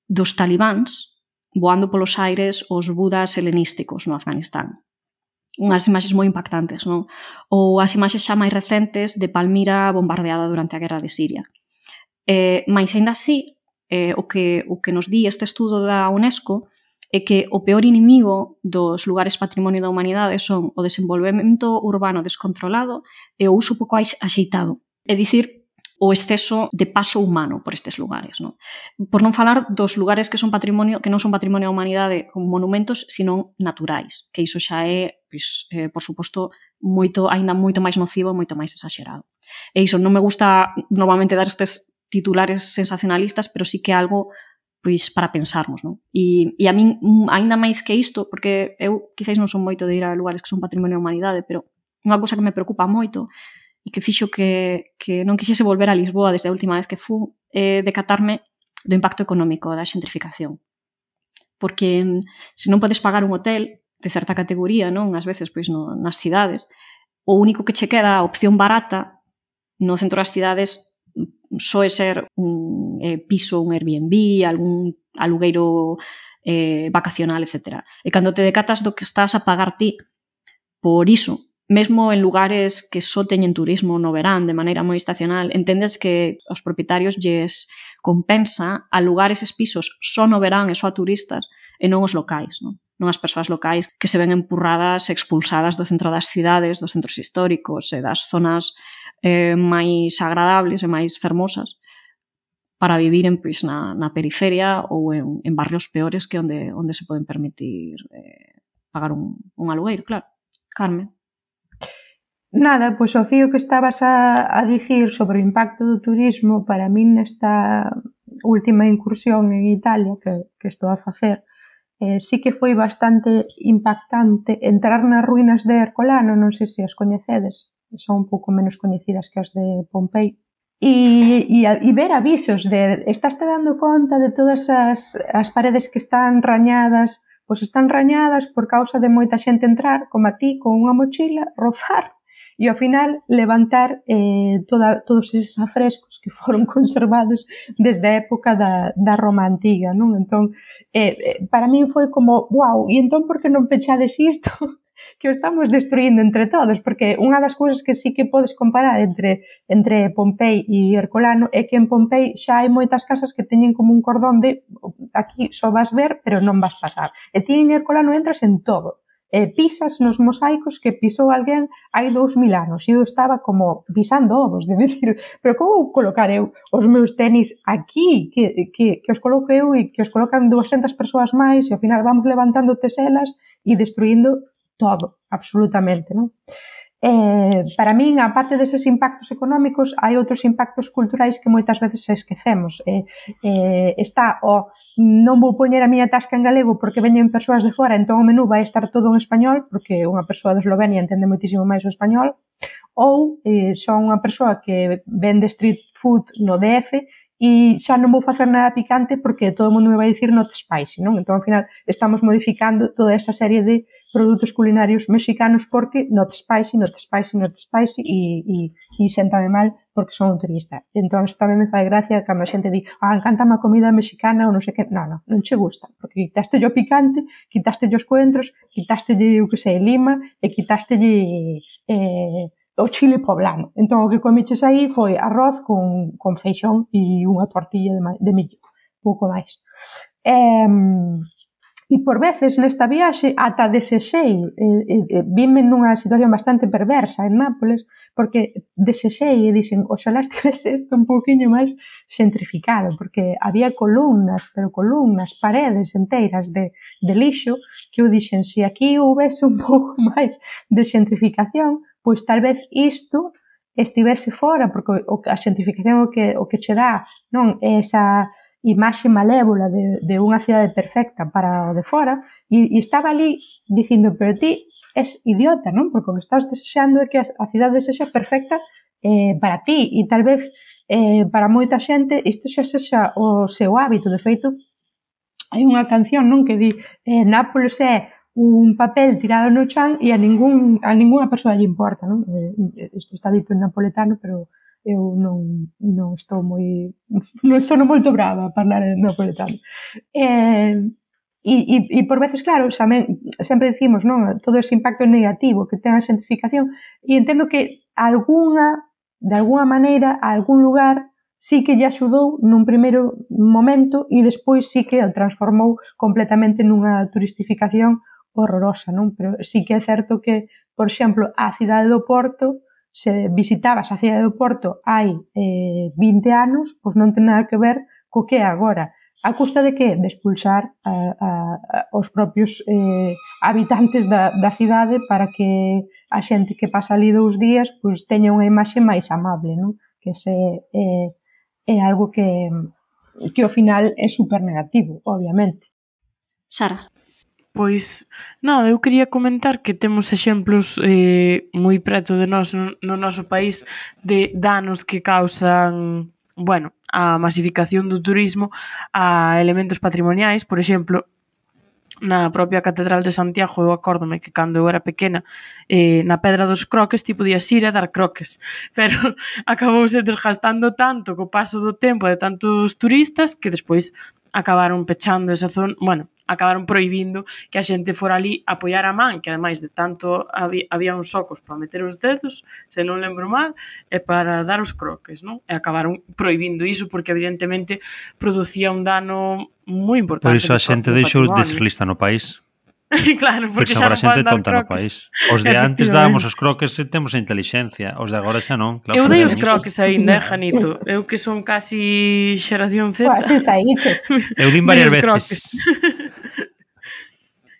dos talibáns voando polos aires os budas helenísticos no Afganistán. Unhas imaxes moi impactantes, non? Ou as imaxes xa máis recentes de Palmira bombardeada durante a guerra de Siria. Eh, mais, ainda así, eh, o, que, o que nos di este estudo da UNESCO é que o peor inimigo dos lugares patrimonio da humanidade son o desenvolvemento urbano descontrolado e o uso pouco axeitado. É dicir, o exceso de paso humano por estes lugares, non? Por non falar dos lugares que son patrimonio, que non son patrimonio da humanidade como monumentos, sino naturais, que iso xa é, pois, eh, por suposto, moito, aínda moito máis nocivo, moito máis exagerado. E iso non me gusta normalmente dar estes titulares sensacionalistas, pero sí que é algo pois para pensarmos, non? E, e a min, aínda máis que isto, porque eu quizáis non son moito de ir a lugares que son patrimonio da humanidade, pero unha cousa que me preocupa moito e que fixo que, que non quixese volver a Lisboa desde a última vez que fun, é decatarme do impacto económico da xentrificación. Porque se non podes pagar un hotel, de certa categoría, non? Ás veces, pois, no, nas cidades, o único que che queda a opción barata no centro das cidades soe ser un eh, piso, un Airbnb, algún alugueiro eh, vacacional, etcétera. E cando te decatas do que estás a pagar ti por iso, mesmo en lugares que só teñen turismo no verán de maneira moi estacional, entendes que os propietarios lles compensa alugar eses pisos só no verán e só a turistas e non os locais, non? Non as persoas locais que se ven empurradas, expulsadas do centro das cidades, dos centros históricos e das zonas eh, máis agradables e máis fermosas para vivir en, pois, na, na periferia ou en, en barrios peores que onde, onde se poden permitir eh, pagar un, un alugueiro, claro. Carmen. Nada, pois o fío que estabas a, a dicir sobre o impacto do turismo para min nesta última incursión en Italia que, que estou a facer, eh, sí que foi bastante impactante entrar nas ruínas de Ercolano, non sei se as coñecedes, son un pouco menos coñecidas que as de Pompei, e, e, e ver avisos de estás te dando conta de todas as, as paredes que están rañadas, pois están rañadas por causa de moita xente entrar, como a ti, con unha mochila, rozar, e ao final levantar eh, toda, todos eses afrescos que foron conservados desde a época da, da Roma Antiga, non? Entón, eh, para min foi como, wow, e entón por que non pechades isto? Que o estamos destruindo entre todos, porque unha das cousas que sí que podes comparar entre, entre Pompei e Ercolano é que en Pompei xa hai moitas casas que teñen como un cordón de aquí só vas ver, pero non vas pasar. E ti en Ercolano entras en todo. Eh, pisas nos mosaicos que pisou alguén hai dous mil anos e eu estaba como pisando ovos, de decir, pero como colocar eu os meus tenis aquí, que, que, que os coloco eu e que os colocan doscientas persoas máis e ao final vamos levantando teselas e destruindo todo, absolutamente, non? Eh, para min, aparte deses impactos económicos, hai outros impactos culturais que moitas veces esquecemos. Eh, eh, está o non vou poñer a miña tasca en galego porque veñen persoas de fora, entón o menú vai estar todo en español, porque unha persoa de Eslovenia entende moitísimo máis o español, ou eh, son unha persoa que vende street food no D F e xa non vou facer nada picante porque todo o mundo me vai dicir not spicy, non? Entón, ao final, estamos modificando toda esa serie de produtos culinarios mexicanos porque not spicy, not spicy, not spicy e, e, e séntame mal porque son un turista. Entón, eso tamén me fai gracia cando a xente di ah, encántame a comida mexicana ou non sei que. Non, non, non che gusta, porque quitaste o picante, quitaste os coentros, quitaste o que sei, lima e quitaste eh, o chile poblano. Entón, o que comiches aí foi arroz con, con feixón e unha tortilla de, de millo, pouco máis. Eh, e por veces nesta viaxe ata desexei, eh, eh, vime nunha situación bastante perversa en Nápoles, porque desexei e dixen, oxalá estivese isto un pouquiño máis xentrificado, porque había columnas, pero columnas, paredes enteiras de, de lixo, que eu dixen, se aquí houvese un pouco máis de xentrificación, pois tal vez isto estivese fora, porque a xentrificación o que, o que che dá, non, é esa imaxe malévola de, de unha cidade perfecta para o de fora, e, e estaba ali dicindo, pero ti és idiota, non? Porque o que estás desexando é que a cidade sexa perfecta eh, para ti, e tal vez eh, para moita xente isto xa sexa o seu hábito. De feito, hai unha canción, non, que di eh, Nápoles é un papel tirado no chan e a, ningún, a ninguna persoa lle importa, non? Isto está dito en napoletano, pero eu non, non estou moi... non sono moito brava a falar en napoletano. Eh, e, e, e por veces, claro, xamen, sempre dicimos, non? Todo ese impacto negativo que ten a xentrificación, e entendo que alguna, de alguna maneira, a algún lugar sí que lle axudou nun primeiro momento e despois sí que o transformou completamente nunha turistificación horrorosa, non? Pero sí que é certo que, por exemplo, a cidade do Porto, se visitabas a cidade do Porto hai eh, vinte anos, pois non ten nada que ver co que é agora. A custa de que? De expulsar a, a, a, os propios eh, habitantes da, da cidade para que a xente que pasa ali dous días pois teña unha imaxe máis amable, non? Que ese é, é algo que, que ao final é super negativo, obviamente. Sara. Pois, non, eu quería comentar que temos exemplos eh, moi preto de nós no, no noso país de danos que causan, bueno, a masificación do turismo a elementos patrimoniais. Por exemplo, na propia Catedral de Santiago, eu acórdome que cando eu era pequena, eh, na Pedra dos Croques ti podías ir a dar croques, pero acabouse desgastando tanto co paso do tempo de tantos turistas que despois acabaron pechando esa zona, bueno, acabaron prohibindo que a xente fora ali a apoiar a man, que ademais de tanto había, había uns socos para meter os dedos, se non lembro mal, e para dar os croques, non? E acabaron prohibindo iso porque evidentemente producía un dano moi importante. Por iso a xente deixou de ser lista no país. Claro, porque xa non xente poden dar tonta no país. Os de antes dábamos os croques e temos a inteligencia, os de agora xa non. Claro, eu dei os croques aínda, Janito. Eu que son casi xeración Z. Quase saíches. Eu din varias veces.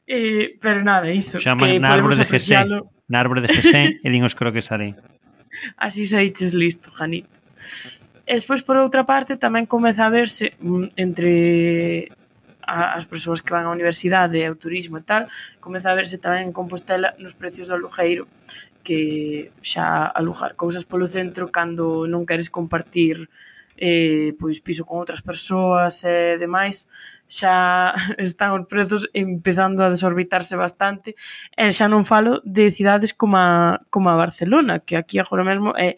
eh, pero nada, iso. Xaman na árbore de Gesén, na árbore de Gesén e din os croques ali. Así saíches listo, Janito. E despois, por outra parte, tamén comeza a verse entre as persoas que van á universidade e ao turismo e tal, comeza a verse tamén en Compostela nos precios do alugueiro, que xa alugar cousas polo centro cando non queres compartir eh, pois piso con outras persoas e demais, xa están os prezos empezando a desorbitarse bastante, e xa non falo de cidades como a, como a Barcelona, que aquí agora mesmo é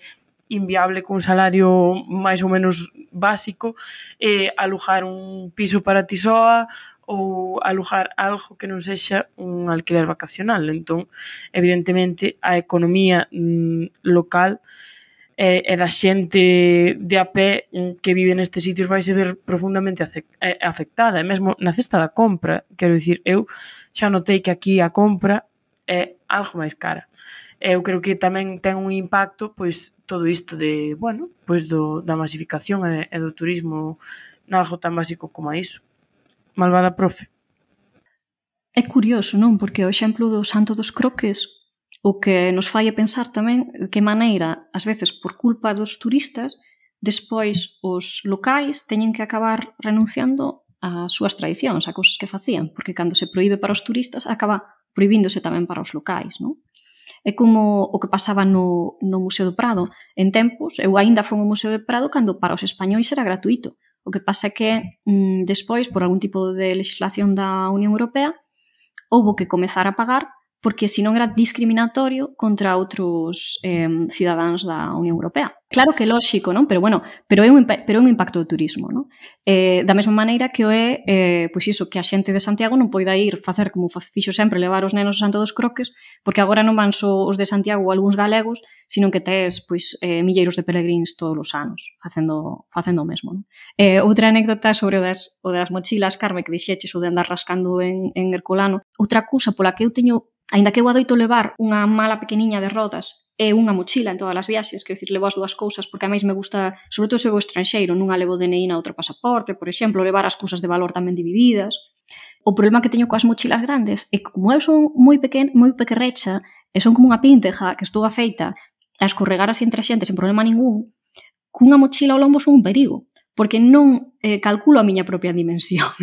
inviable con un salario máis ou menos básico eh, alugar un piso para ti soa ou alugar algo que non sexa un alquiler vacacional. Entón, evidentemente, a economía mm, local e, e da xente de a pé que vive nestes sitios vai se ver profundamente afectada, e mesmo na cesta da compra, quero dicir, eu xa notei que aquí a compra é algo máis cara. Eu creo que tamén ten un impacto, pois, todo isto de, bueno, pois do, da masificación e, e do turismo nalgo tan básico como a iso. Malvada profe. É curioso, non? Porque o exemplo do Santo dos Croques o que nos fai a pensar tamén de que maneira, ás veces por culpa dos turistas, despois os locais teñen que acabar renunciando ás súas tradicións, a cousas que facían, porque cando se proíbe para os turistas acaba prohibíndose tamén para os locais, non? É como o que pasaba no, no Museo do Prado. En tempos, eu aínda fui ao Museo do Prado cando para os españois era gratuito. O que pasa é que mm, despois, por algún tipo de legislación da Unión Europea, houbo que comezar a pagar porque senón era discriminatorio contra outros eh, cidadáns da Unión Europea. Claro que é lóxico, non? Pero bueno, pero é un, pero é un impacto do turismo, non? Eh, da mesma maneira que o é, eh, pois iso, que a xente de Santiago non poida ir facer como fixo sempre, levar os nenos a Santo dos Croques, porque agora non van só os de Santiago ou algúns galegos, sino que tes, pois, eh, milleiros de peregrins todos os anos, facendo, facendo o mesmo, non? Eh, outra anécdota sobre o das, o das mochilas, Carme, que dixeches, o de andar rascando en, en Herculano. Outra cousa pola que eu teño, aínda que eu adoito levar unha mala pequeniña de rodas e unha mochila en todas as viaxes, quero dicir, levo as dúas cousas, porque a máis me gusta, sobre todo se vou estranxeiro, nunha levo D N I na outro pasaporte, por exemplo, levar as cousas de valor tamén divididas. O problema que teño coas mochilas grandes é que como eu son moi pequena, moi pequerrecha, e son como unha pínteja que estou afeita a escorregar así entre a xente sen problema ningún, cunha mochila ao lombo son un perigo, porque non eh, calculo a miña propia dimensión.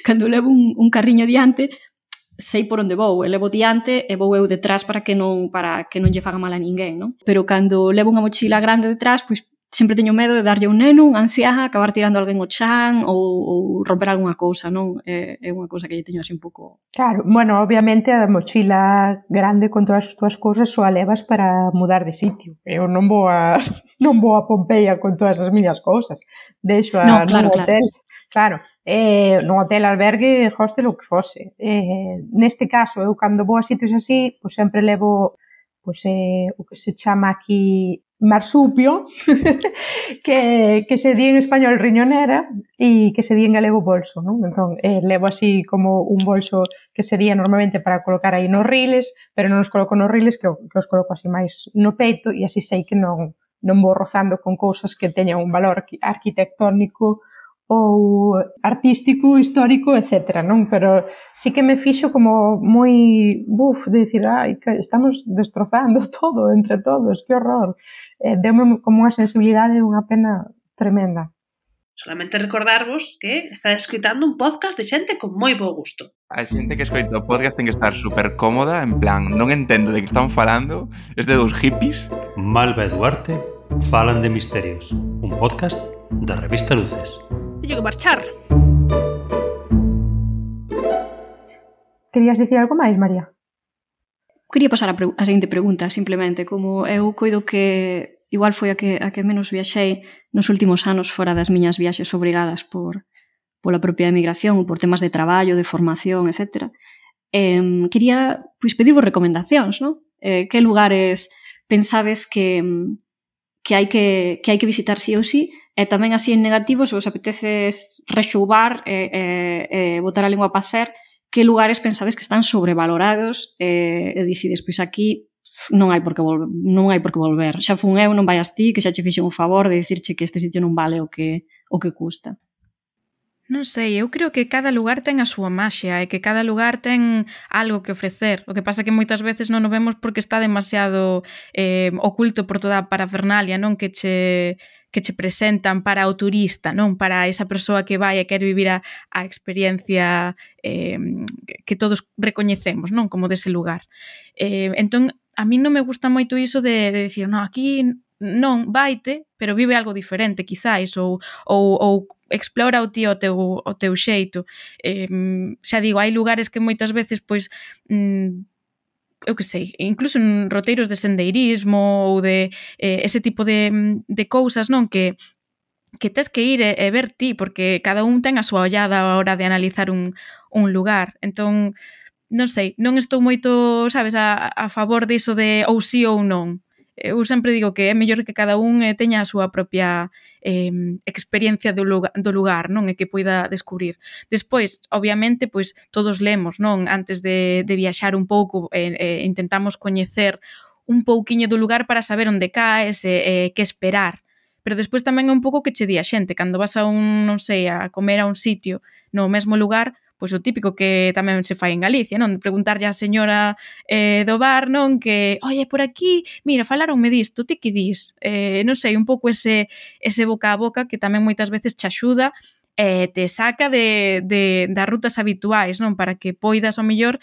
Cando levo un, un carriño diante, sei por onde vou, e levo diante e vou eu detrás para que non para que non lle faga mal a ninguén, non? Pero cando levo unha mochila grande detrás, pois sempre teño medo de darlle un neno, un anciá, acabar tirando alguén ao chan ou, ou romper algunha cousa, non? É, é unha cousa que lle teño así un pouco... Claro, bueno, obviamente a mochila grande con todas as túas cousas só a levas para mudar de sitio. Eu non vou a non vou a Pompeia con todas as miñas cousas. Deixo a no, claro, no hotel. Claro. Claro, eh, no hotel, albergue, hostel, o que fose. Eh, neste caso, eu cando vou a sitios así, pois sempre levo pois, eh, o que se chama aquí marsupio, que, que se di en español riñonera e que se di en galego bolso, non? Entón, eh, levo así como un bolso que sería normalmente para colocar aí nos riles, pero non os coloco nos riles, que, que os coloco así máis no peito, e así sei que non, non vou rozando con cousas que teñan un valor arquitectónico ou artístico, histórico, etcétera, non? Pero sí que me fixo como moi, buf, de dicir, ai, que estamos destrozando todo entre todos, que horror. Eh, deume como unha sensibilidade e unha pena tremenda. Solamente recordarvos que está escritando un podcast de xente con moi bo gusto. A xente que escoita o podcast ten que estar super cómoda, en plan, non entendo de que están falando, es de dos hippies. Malva e Duarte falan de misterios, un podcast da revista Luces. Teño que marchar. Querías dicir algo máis, María? Quería pasar a, a seguinte pregunta, simplemente, como eu coido que igual foi a que, a que menos viaxei nos últimos anos fora das miñas viaxes obrigadas por pola propia emigración ou por temas de traballo, de formación, etcétera. Eh, quería pois, pedirvos recomendacións, non? Eh, que lugares pensades que, que, hai que, que hai que visitar sí ou sí, e tamén así en negativo, se vos apetece rexoubar e eh, eh, botar a lingua a pacer, que lugares pensades que están sobrevalorados e, e decides, pois aquí non hai por que volver, non hai por que volver. Xa fun eu, non vayas ti, que xa che fixen un favor de dicirche que este sitio non vale o que, o que custa. Non sei, eu creo que cada lugar ten a súa maxia e que cada lugar ten algo que ofrecer. O que pasa que moitas veces non o vemos porque está demasiado eh, oculto por toda a parafernalia, non? Que che... que che presentan para o turista, non? Para esa persoa que vai e quere vivir a, a experiencia eh, que todos recoñecemos, non? Como dese lugar. Eh, entón, a mí non me gusta moito iso de, de decir, non, aquí non, vaite, pero vive algo diferente, quizáis, ou, ou, ou explora o ti o teu, o teu xeito. Eh, xa digo, hai lugares que moitas veces, pois, mm, eu que sei, incluso en roteiros de sendeirismo ou de eh, ese tipo de, de cousas, non? Que, que tes que ir e, e ver ti, porque cada un ten a súa ollada a hora de analizar un, un lugar. Entón, non sei, non estou moito, sabes, a, a favor diso de ou sí ou non. Eu sempre digo que é mellor que cada un eh, teña a súa propia eh, experiencia do lugar, do lugar, non? E que poida descubrir. Despois, obviamente, pois todos lemos, non? Antes de, de viaxar un pouco, eh, eh, intentamos coñecer un pouquiño do lugar para saber onde caes e eh, que esperar. Pero despois tamén é un pouco que che di a xente. Cando vas a un, non sei, a comer a un sitio no mesmo lugar, pois o típico que tamén se fai en Galicia, non? Preguntarlle á señora eh, do bar, non? Que, oye, por aquí, mira, falaronme disto, ti que dis? Eh, non sei, un pouco ese, ese boca a boca que tamén moitas veces che axuda e eh, te saca de, de, das rutas habituais, non? Para que poidas, ao mellor,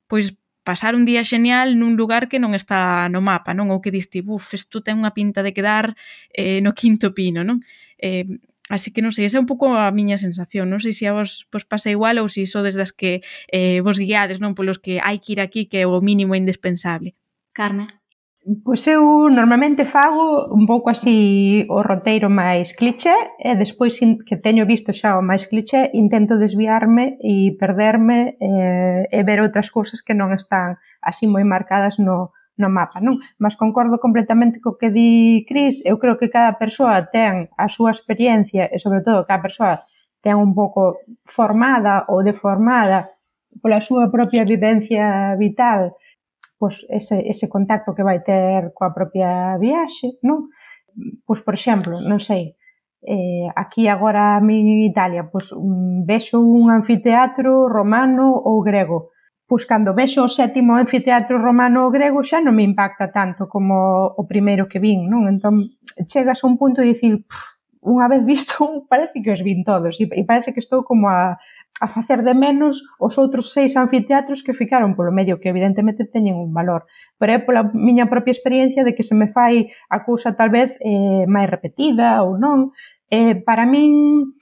pois, pasar un día xenial nun lugar que non está no mapa, non? Ou que diste, buf, isto ten unha pinta de quedar eh, no quinto pino, non? Eh, Así que non sei, esa é un pouco a miña sensación. Non sei se a vos, vos pasa igual ou se iso desde as que eh, vos guiades, non? Polos que hai que ir aquí, que é o mínimo indispensable. Carme? Pois eu normalmente fago un pouco así o roteiro máis cliché e despois que teño visto xa o máis cliché intento desviarme e perderme eh, e ver outras cousas que non están así moi marcadas no, no mapa, non? Mas concordo completamente co que di Cris. Eu creo que cada persoa ten a súa experiencia e, sobre todo, cada persoa ten un pouco formada ou deformada pola súa propia vivencia vital, pois ese, ese contacto que vai ter coa propia viaxe, non? Pois, por exemplo, non sei, eh, aquí agora a min en Italia, pois vexo un anfiteatro romano ou grego. Pois cando vexo o sétimo anfiteatro romano ou grego xa non me impacta tanto como o primeiro que vin, non? Entón chegas a un punto de dicir, unha vez visto, parece que os vin todos e parece que estou como a, a facer de menos os outros seis anfiteatros que ficaron polo medio, que evidentemente teñen un valor. Pero é pola miña propia experiencia de que se me fai a cousa tal vez eh, máis repetida ou non. Eh, para min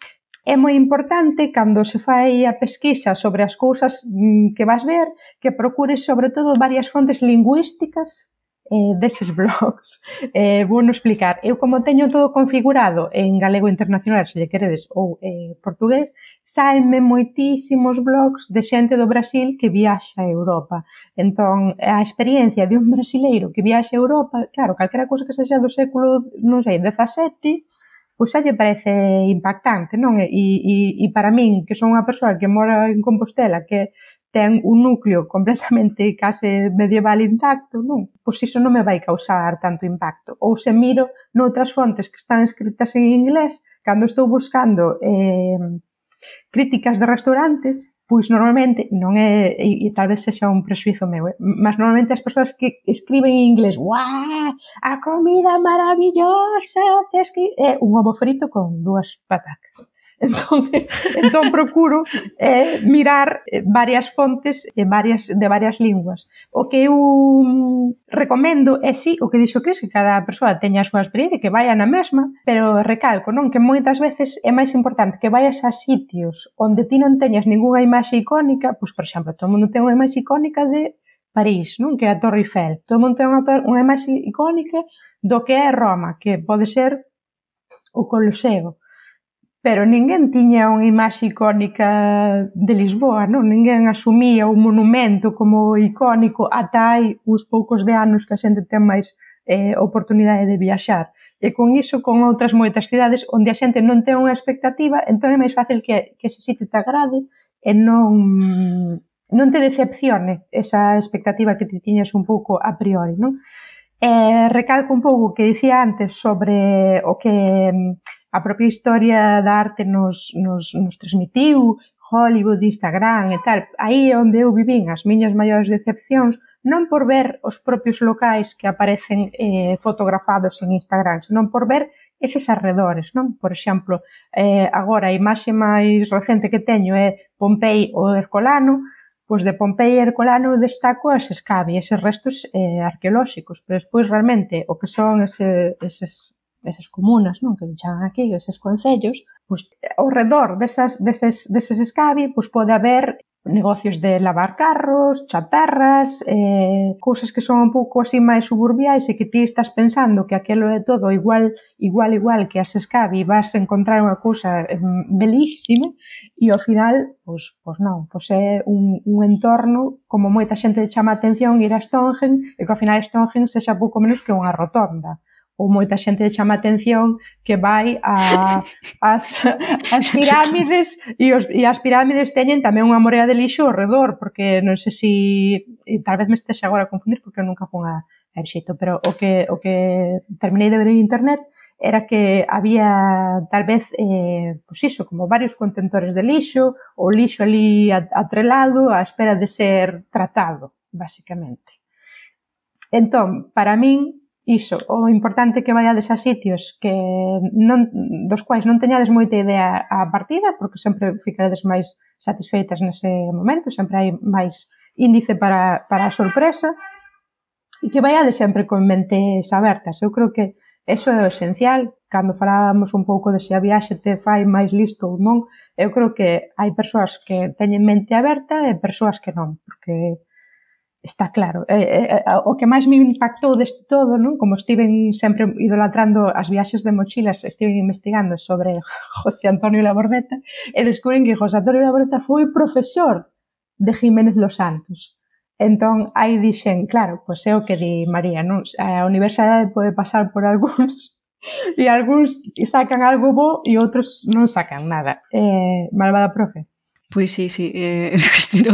é moi importante, cando se fai a pesquisa sobre as cousas que vas ver, que procures sobre todo varias fontes lingüísticas eh, deses blogs. Eh, vou non explicar. Eu, como teño todo configurado en galego internacional, se lle queredes, ou eh, portugués, saenme moitísimos blogs de xente do Brasil que viaxa a Europa. Entón, a experiencia de un brasileiro que viaxa a Europa, claro, calquera cousa que sexa do século, non sei, dezasete, pois xa lle parece impactante, non? E, e, e para min, que son unha persoa que mora en Compostela, que ten un núcleo completamente case medieval intacto, non? Pois iso non me vai causar tanto impacto. Ou se miro noutras fontes que están escritas en inglés, cando estou buscando eh, críticas de restaurantes, pois normalmente, non é, e, e tal vez sexa un prexuizo meu, eh, mas normalmente as persoas que escriben en inglés, ¡guau! A comida maravillosa, tes que... É un ovo frito con dúas patacas. Entón, entón procuro eh, mirar varias fontes e varias, de varias linguas. O que eu recomendo é, sí, o que dixo Cris, que cada persoa teña a súa experiencia, que vaya na mesma, pero recalco, non, que moitas veces é máis importante que vayas a sitios onde ti non teñas ningunha imaxe icónica, pois, por exemplo, todo o mundo ten unha imaxe icónica de París, non? Que é a Torre Eiffel. Todo o mundo ten unha, unha imaxe icónica do que é Roma, que pode ser o Coloseo. Pero ninguén tiña unha imaxe icónica de Lisboa, non? Ninguén asumía un monumento como icónico ata hai uns poucos de anos que a xente ten máis eh, oportunidade de viaxar. E con iso, con outras moitas cidades onde a xente non ten unha expectativa, entón é máis fácil que, que ese sitio te agrade e non, non te decepcione esa expectativa que te tiñas un pouco a priori, non? E recalco un pouco o que dicía antes sobre o que a propia historia da arte nos, nos, nos transmitiu, Hollywood, Instagram e tal. Aí é onde eu vivín as miñas maiores decepcións, non por ver os propios locais que aparecen eh, fotografados en Instagram, senón por ver eses arredores, non? Por exemplo, eh, agora a imaxe máis recente que teño é Pompei ou Herculano. Pois de Pompei e Herculano destaco as escabi, eses restos eh, arqueolóxicos, pero despois realmente o que son ese, eses esas comunas, non, que chaman aquí, eses concellos, pois ao redor desas, deses, deses escabi, pois pode haber negocios de lavar carros, chatarras, eh, cousas que son un pouco así máis suburbiais e que ti estás pensando que aquilo é todo igual, igual, igual que as escabi, vas a encontrar unha cousa eh, belísima e ao final, pois, pois non, pois é un, un entorno como moita xente chama a atención ir a Stonehenge e que ao final Stonehenge sexa pouco menos que unha rotonda. Ou moita xente chama a atención que vai a as, as pirámides e, os, e as pirámides teñen tamén unha morea de lixo ao redor, porque non sei se si, tal vez me estexe agora a confundir porque eu nunca fun a, a Exito, pero o que, o que terminei de ver en internet era que había tal vez eh, pues iso, como varios contentores de lixo, o lixo ali atrelado á espera de ser tratado, basicamente. Entón, para min, iso, o importante que vaiades a sitios que non, dos quais non teñades moita idea a partida, porque sempre ficaredes máis satisfeitas nese momento, sempre hai máis índice para, para a sorpresa, e que vaiades sempre con mentes abertas. Eu creo que eso é o esencial. Cando falábamos un pouco de se a viaxe te fai máis listo ou non, eu creo que hai persoas que teñen mente aberta e persoas que non, porque está claro. Eh, eh, o que máis me impactou deste todo, non? Como estiven sempre idolatrando as viaxes de mochilas, estiven investigando sobre José Antonio Labordeta e descubren que José Antonio Labordeta foi profesor de Jiménez Los Santos. Entón, aí dixen, claro, pois é o que di María, non? A universidade pode pasar por algúns e algúns sacan algo bo e outros non sacan nada. Eh, malvada profe. Pois sí, sí, eh,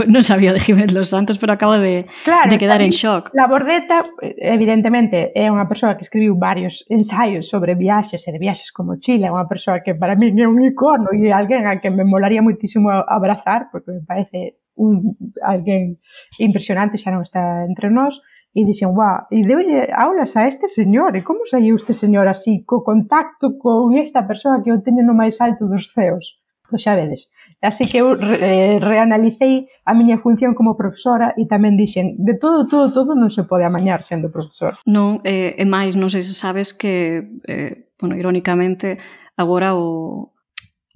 non sabía de Jiménez Los Santos, pero acabo de, claro, de quedar en shock. Labordeta, evidentemente, é unha persoa que escribiu varios ensaios sobre viaxes e de viaxes como Chile, é unha persoa que para mí é un icono e alguén a que me molaría muitísimo abrazar, porque me parece un, alguén impresionante, xa non está entre nós, e dixen, guau, e deulle aulas a este señor, e como saiu este señor así, co contacto con esta persoa que o teñe no máis alto dos ceos? Pois xa vedes. Así que eu re, reanalicei a miña función como profesora e tamén dixen, de todo, todo, todo non se pode amañar sendo profesor. Non, eh, e máis, non sei se sabes que, eh, bueno, irónicamente, agora o,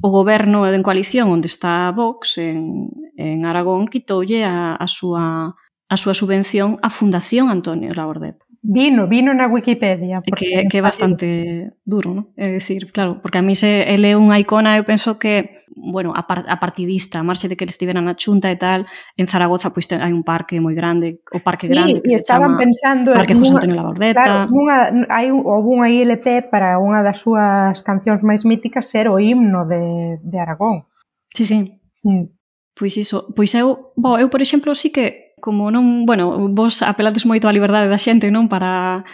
o goberno en coalición onde está Vox en, en Aragón quitoulle a, a, súa, a súa subvención á Fundación Antonio Labordeta. Vino, vino na Wikipedia. Que, que é bastante duro, non? É dicir, claro, porque a mí se ele é unha icona, eu penso que, bueno, a, par, a partidista, a marxe de que ele estivera na Xunta e tal, en Zaragoza pois hai un parque moi grande, o Parque sí, Grande, que se chama pensando Parque José Antonio Labordeta. Claro, nunha, hai unha I L P para unha das súas cancións máis míticas ser o himno de, de Aragón. Sí, sí. Mm. Pois iso, pois eu, bo, eu por exemplo, sí que como non, bueno, vos apelades moito á liberdade da xente, non, para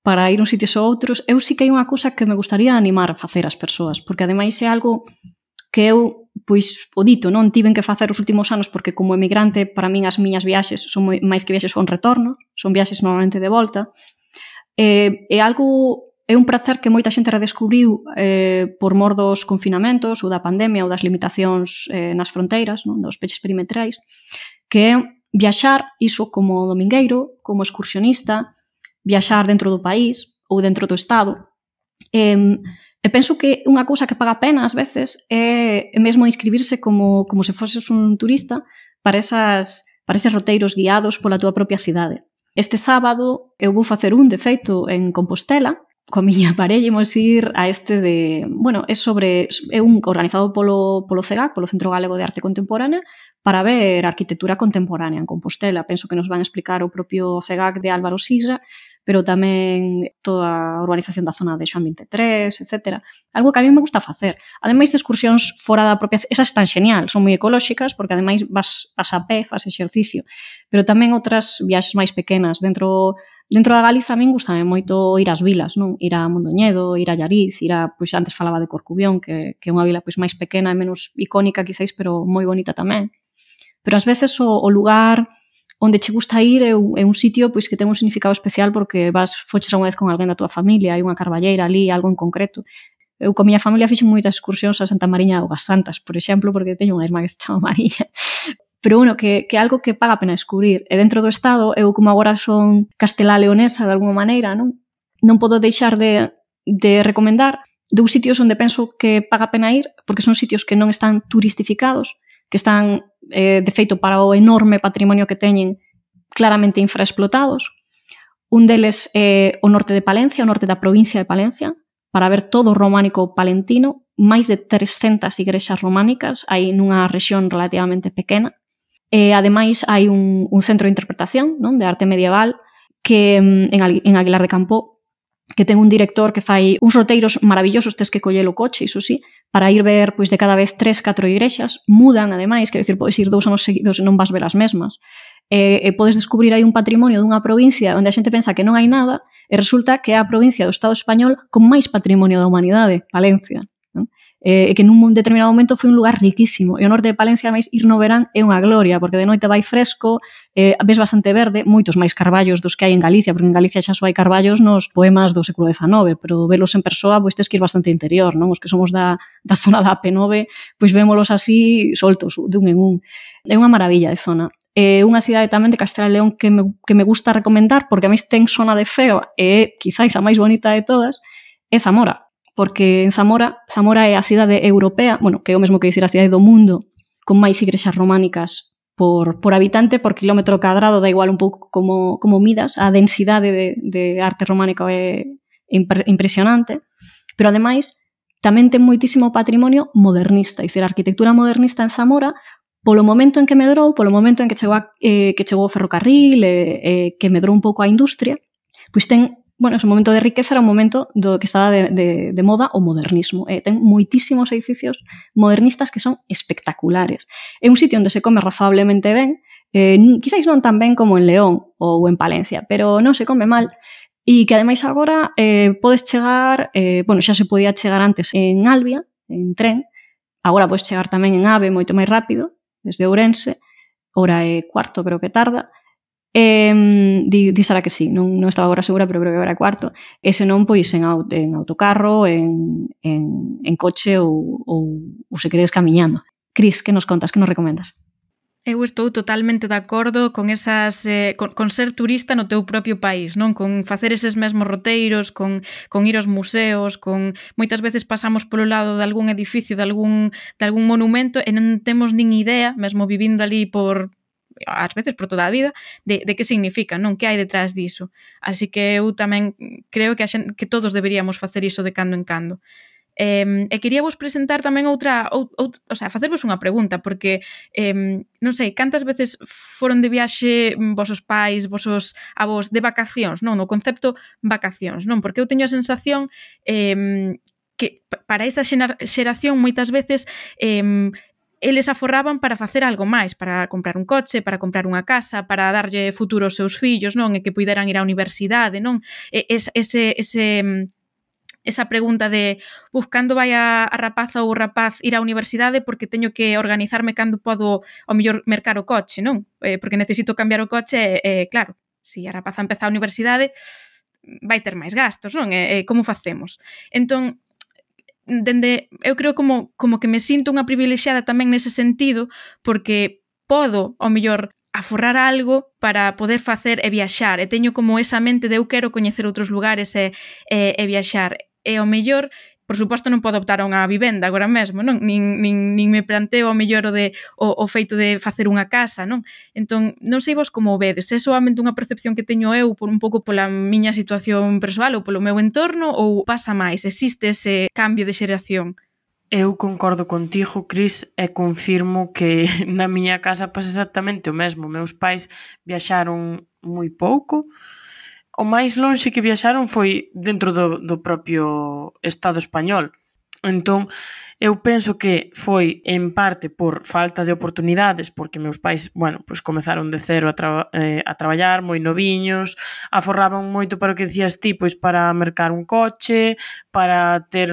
para ir uns sitios ou outros, eu sí que hai unha cousa que me gustaría animar a facer as persoas, porque ademais é algo que eu, pois, o dito, non tiven que facer os últimos anos, porque como emigrante, para min as miñas viaxes son moi, máis que viaxes son retornos, son viaxes normalmente de volta, e, é algo é un prazer que moita xente redescubriu eh, por mor dos confinamentos ou da pandemia ou das limitacións eh, nas fronteiras, non? Dos peches perimetrais, que é viaxar, iso como domingueiro, como excursionista, viaxar dentro do país ou dentro do estado. E, e penso que unha cousa que paga pena ás veces é mesmo inscribirse como, como se foses un turista para, esas, para eses roteiros guiados pola túa propia cidade. Este sábado eu vou facer un, de feito, en Compostela, coa miña parella imos ir a este de, bueno, é sobre é un organizado polo polo C E G A C, polo Centro Galego de Arte Contemporánea, para ver arquitectura contemporánea en Compostela. Penso que nos van explicar o propio C E G A C de Álvaro Sisa, pero tamén toda a urbanización da zona de Xoán vinte e tres, etcétera. Algo que a mí me gusta facer. Ademais de excursións fora da propia... Esas están genial, son moi ecolóxicas, porque ademais vas, vas a pé, faz exercicio. Pero tamén outras viaxes máis pequenas. Dentro dentro da Galiza a min gustame moito ir ás vilas, non? Ir a Mondoñedo, ir a Llariz, ir a... Pois antes falaba de Corcubión, que, que é unha vila pois máis pequena e menos icónica, quizáis, pero moi bonita tamén. Pero ás veces o, o lugar onde che gusta ir é un, é un sitio pois que ten un significado especial porque vas foches unha vez con alguén da túa familia, hai unha carballeira ali, algo en concreto. Eu con a miña familia fixen moitas excursións a Santa Mariña de Augas Santas, por exemplo, porque teño unha irmá que se chama Mariña. Pero, bueno, que, que algo que paga a pena descubrir. E dentro do Estado, eu como agora son castelá leonesa de alguma maneira, non non podo deixar de, de recomendar dous sitios onde penso que paga a pena ir, porque son sitios que non están turistificados, que están, eh, de feito, para o enorme patrimonio que teñen, claramente infraexplotados. Un deles é o norte de Palencia, o norte da provincia de Palencia, para ver todo o románico palentino, máis de trescentas igrexas románicas, hai nunha rexión relativamente pequena. E, ademais, hai un, un centro de interpretación, non, de arte medieval que en, en Aguilar de Campo, que ten un director que fai uns roteiros maravillosos, tes que coller o coche, iso sí, para ir ver pois de cada vez tres, catro igrexas, mudan ademais, quer dicir, podes ir dous anos seguidos e non vas ver as mesmas. E, e podes descubrir aí un patrimonio dunha provincia onde a xente pensa que non hai nada e resulta que é a provincia do Estado español con máis patrimonio da humanidade, Valencia. Non? E, e que nun determinado momento foi un lugar riquísimo. E o norte de Palencia, máis, ir no verán é unha gloria, porque de noite vai fresco, eh, ves bastante verde, moitos máis carballos dos que hai en Galicia, porque en Galicia xa só hai carballos nos poemas do século dezanove, pero velos en persoa, pois tes que ir bastante interior, non? Os que somos da, da zona da A P nove, pois vémolos así soltos, dun en un. É unha maravilla de zona. É unha cidade tamén de Castela e León que me, que me gusta recomendar, porque a mí ten zona de feo e é quizáis a máis bonita de todas, é Zamora. Porque en Zamora, Zamora é a cidade europea, bueno, que é o mesmo que dicir a cidade do mundo, con máis igrexas románicas por, por habitante, por kilómetro cadrado, da igual un pouco como, como midas, a densidade de, de arte románica é impre, impresionante, pero ademais tamén ten moitísimo patrimonio modernista, dicir, a arquitectura modernista en Zamora, polo momento en que medrou, polo momento en que chegou, a, eh, que chegou o ferrocarril, eh, eh, que medrou un pouco a industria, pois ten, bueno, ese momento de riqueza era un momento do que estaba de, de, de moda o modernismo. Eh, ten moitísimos edificios modernistas que son espectaculares. É un sitio onde se come razonablemente ben, eh, quizáis non tan ben como en León ou en Palencia, pero non se come mal, e que ademais agora eh, podes chegar, eh, bueno, xa se podía chegar antes en Albia, en tren, agora podes chegar tamén en AVE moito máis rápido, desde Ourense, hora e cuarto creo que tarda, e di, di Sara que sí, non, non estaba agora segura, pero creo que hora e cuarto, e senón pois en, auto, en autocarro, en, en, en coche ou, ou, ou se queres camiñando. Cris, que nos contas, que nos recomendas? Eu estou totalmente de acordo con esas eh, con, con ser turista no teu propio país, non? Con facer eses mesmos roteiros, con, con ir aos museos, con moitas veces pasamos polo lado de algún edificio, de algún, de algún monumento e non temos nin idea, mesmo vivindo ali por ás veces por toda a vida, de, de que significa, non? Que hai detrás diso. Así que eu tamén creo que, a xente, que todos deberíamos facer iso de cando en cando. Eh, e quería vos presentar tamén outra, ou, ou, o sea, facervos unha pregunta, porque eh, non sei, cantas veces foron de viaxe vosos pais, vosos avós de vacacións, non? No concepto vacacións, non? Porque eu teño a sensación eh, que para esa xeración moitas veces eh, eles aforraban para facer algo máis, para comprar un coche, para comprar unha casa, para darlle futuro aos seus fillos, non? E que puideran ir á universidade, non? E, ese, ese, ese esa pregunta de uf, cando vai a, a rapaza ou o rapaz ir á universidade porque teño que organizarme cando podo ao mellor mercar o coche, non? Eh, porque necesito cambiar o coche e, eh, claro, se si a rapaza empeza a universidade vai ter máis gastos, non? E, e como facemos? Entón, dende, eu creo como, como que me sinto unha privilexiada tamén nese sentido, porque podo, ao mellor, aforrar algo para poder facer e viaxar, e teño como esa mente de eu quero coñecer outros lugares e, e, e viaxar, e ao mellor, por suposto non podo optar a unha vivenda agora mesmo, non? Nin, nin, nin me planteo ao mellor o, de, o, o feito de facer unha casa, non? Entón, non sei vos como o vedes, é soamente unha percepción que teño eu por un pouco pola miña situación persoal ou polo meu entorno, ou pasa máis, existe ese cambio de xeración? Eu concordo contigo, Cris, e confirmo que na miña casa pasa exactamente o mesmo. Meus pais viaxaron moi pouco. O máis lonxe que viaxaron foi dentro do, do propio Estado español. Entón, eu penso que foi en parte por falta de oportunidades, porque meus pais, bueno, pues comezaron de cero a, tra eh, a traballar, moi noviños, aforraban moito para o que decías ti, pois para mercar un coche, para ter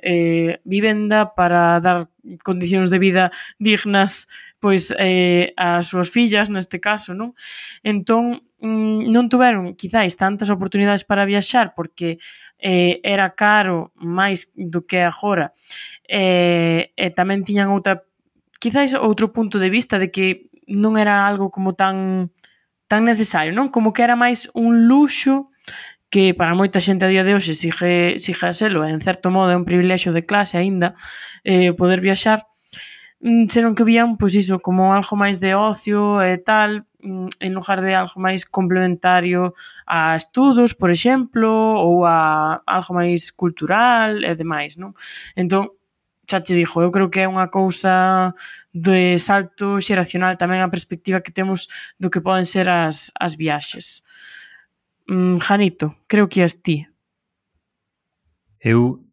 eh, vivenda, para dar condicións de vida dignas pois eh, ás súas fillas, neste caso, non? Entón, non tuveron quizáis tantas oportunidades para viaxar porque eh, era caro máis do que agora, e, e tamén tiñan outra, quizáis outro punto de vista de que non era algo como tan tan necesario, non? Como que era máis un luxo que para moita xente a día de hoxe sigue, sigue a selo, e en certo modo é un privilexio de clase aínda eh, poder viaxar, senón que vían, pois iso, como algo máis de ocio e tal, en lugar de algo máis complementario a estudos, por exemplo, ou a algo máis cultural e demais, non? Entón, xa che dixo, eu creo que é unha cousa de salto xeracional tamén a perspectiva que temos do que poden ser as, as viaxes. Mm, Janito, creo que és ti. Eu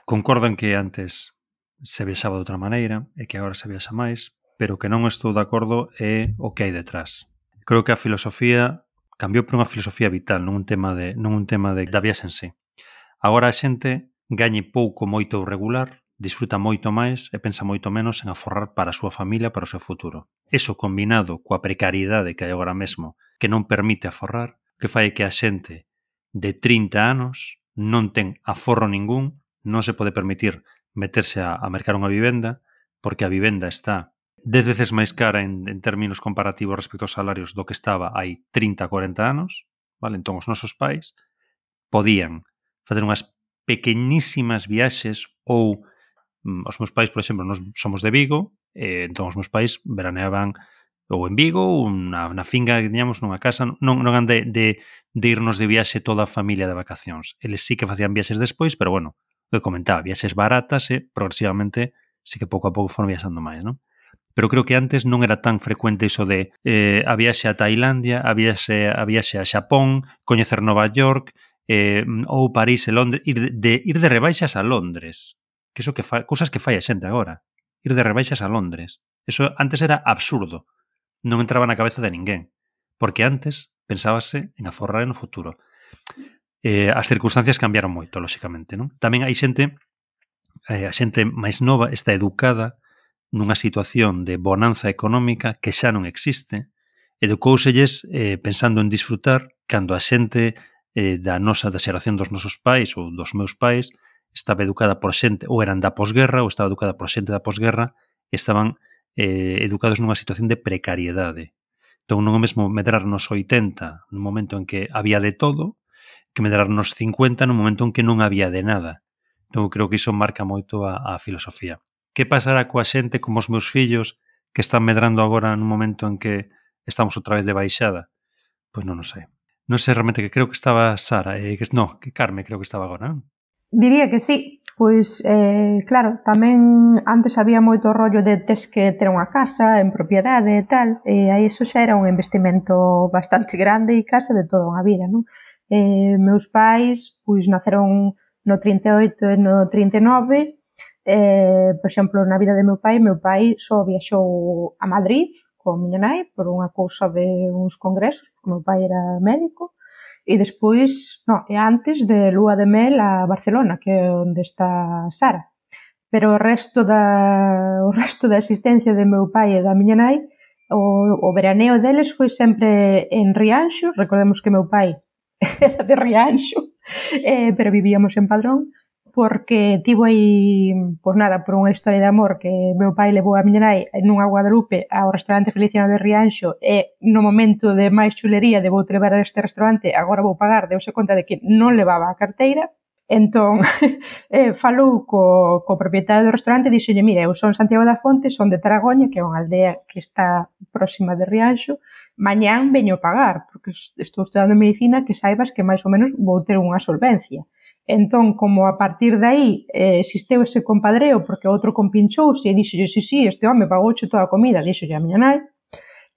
concordo en que antes se viaxaba de outra maneira e que agora se viaxa máis, pero que non estou de acordo é o que hai detrás. Creo que a filosofía cambiou por unha filosofía vital, non un tema de non un tema de da viaxe en sí. Agora a xente gañe pouco, moito ou regular, disfruta moito máis e pensa moito menos en aforrar para a súa familia, para o seu futuro. Eso combinado coa precariedade que hai agora mesmo, que non permite aforrar, que fai que a xente de trinta anos non ten aforro ningún, non se pode permitir meterse a, a mercar unha vivenda, porque a vivenda está dez veces máis cara en, en términos comparativos respecto aos salarios do que estaba hai trinta a cuarenta anos, vale? Entón os nosos pais podían facer unhas pequeñísimas viaxes ou mm, os meus pais, por exemplo, nós somos de Vigo, e entón os meus pais veraneaban ou en Vigo ou na, na finga que tiñamos nunha casa, non, non han de, de, de irnos de viaxe toda a familia de vacacións. Eles sí que facían viaxes despois, pero bueno, que comentaba, viaxes baratas e progresivamente sí que pouco a pouco foron viaxando máis, non? Pero creo que antes non era tan frecuente iso de eh, a viaxe a Tailandia, a viaxe, a viaxe a Xapón, coñecer Nova York, eh, ou París e Londres, ir de, de, ir de rebaixas a Londres, que iso que fa, cousas que fai a xente agora, ir de rebaixas a Londres. Eso antes era absurdo, non entraba na cabeza de ninguén, porque antes pensábase en aforrar no futuro. Eh, as circunstancias cambiaron moito, lóxicamente, non? Tamén hai xente, eh, a xente máis nova está educada nunha situación de bonanza económica que xa non existe, educouselles eh, pensando en disfrutar cando a xente eh, da nosa da xeración dos nosos pais ou dos meus pais estaba educada por xente, ou eran da posguerra ou estaba educada por xente da posguerra e estaban eh, educados nunha situación de precariedade. Entón non é o mesmo medrar nos oitenta, nun momento en que había de todo, que medrar nos cincuenta no momento en que non había de nada. Entón, creo que iso marca moito a, a filosofía. Que pasará coa xente como os meus fillos que están medrando agora nun momento en que estamos outra vez de baixada? Pois non o sei. Non sei realmente, que creo que estaba Sara, e que no, que Carme creo que estaba agora, non? Diría que sí. Pois, eh, claro, tamén antes había moito rollo de tes que ter unha casa en propiedade e tal, e aí iso xa era un investimento bastante grande e case de toda unha vida, non? Eh, meus pais, pois, naceron no trinta e oito e no trinta e nove, eh, por exemplo, na vida de meu pai, meu pai só viaxou a Madrid con miña nai por unha cousa de uns congresos, porque meu pai era médico, e despois, no, e antes de lúa de mel a Barcelona, que é onde está Sara. Pero o resto da o resto da existencia de meu pai e da miña nai, o, o veraneo deles foi sempre en Rianxo. Recordemos que meu pai era de Rianxo, eh, pero vivíamos en Padrón, porque tivo aí, pois nada, por unha historia de amor que meu pai levou a miña nai nunha Guadalupe ao restaurante Feliciano de Rianxo e no momento de máis chulería de vou te levar a este restaurante, agora vou pagar, deuse conta de que non levaba a carteira. Entón, eh, falou co, co propietario do restaurante e dixolle, mira, eu son Santiago da Fonte, son de Taragoña, que é unha aldea que está próxima de Rianxo, mañán veño pagar, porque estou estudando medicina, que saibas que máis ou menos vou ter unha solvencia. Entón, como a partir de aí eh, existeu ese compadreo, porque outro compinchouse e dixolle, sí, sí, este home pagouche toda a comida, dixolle a miña nai,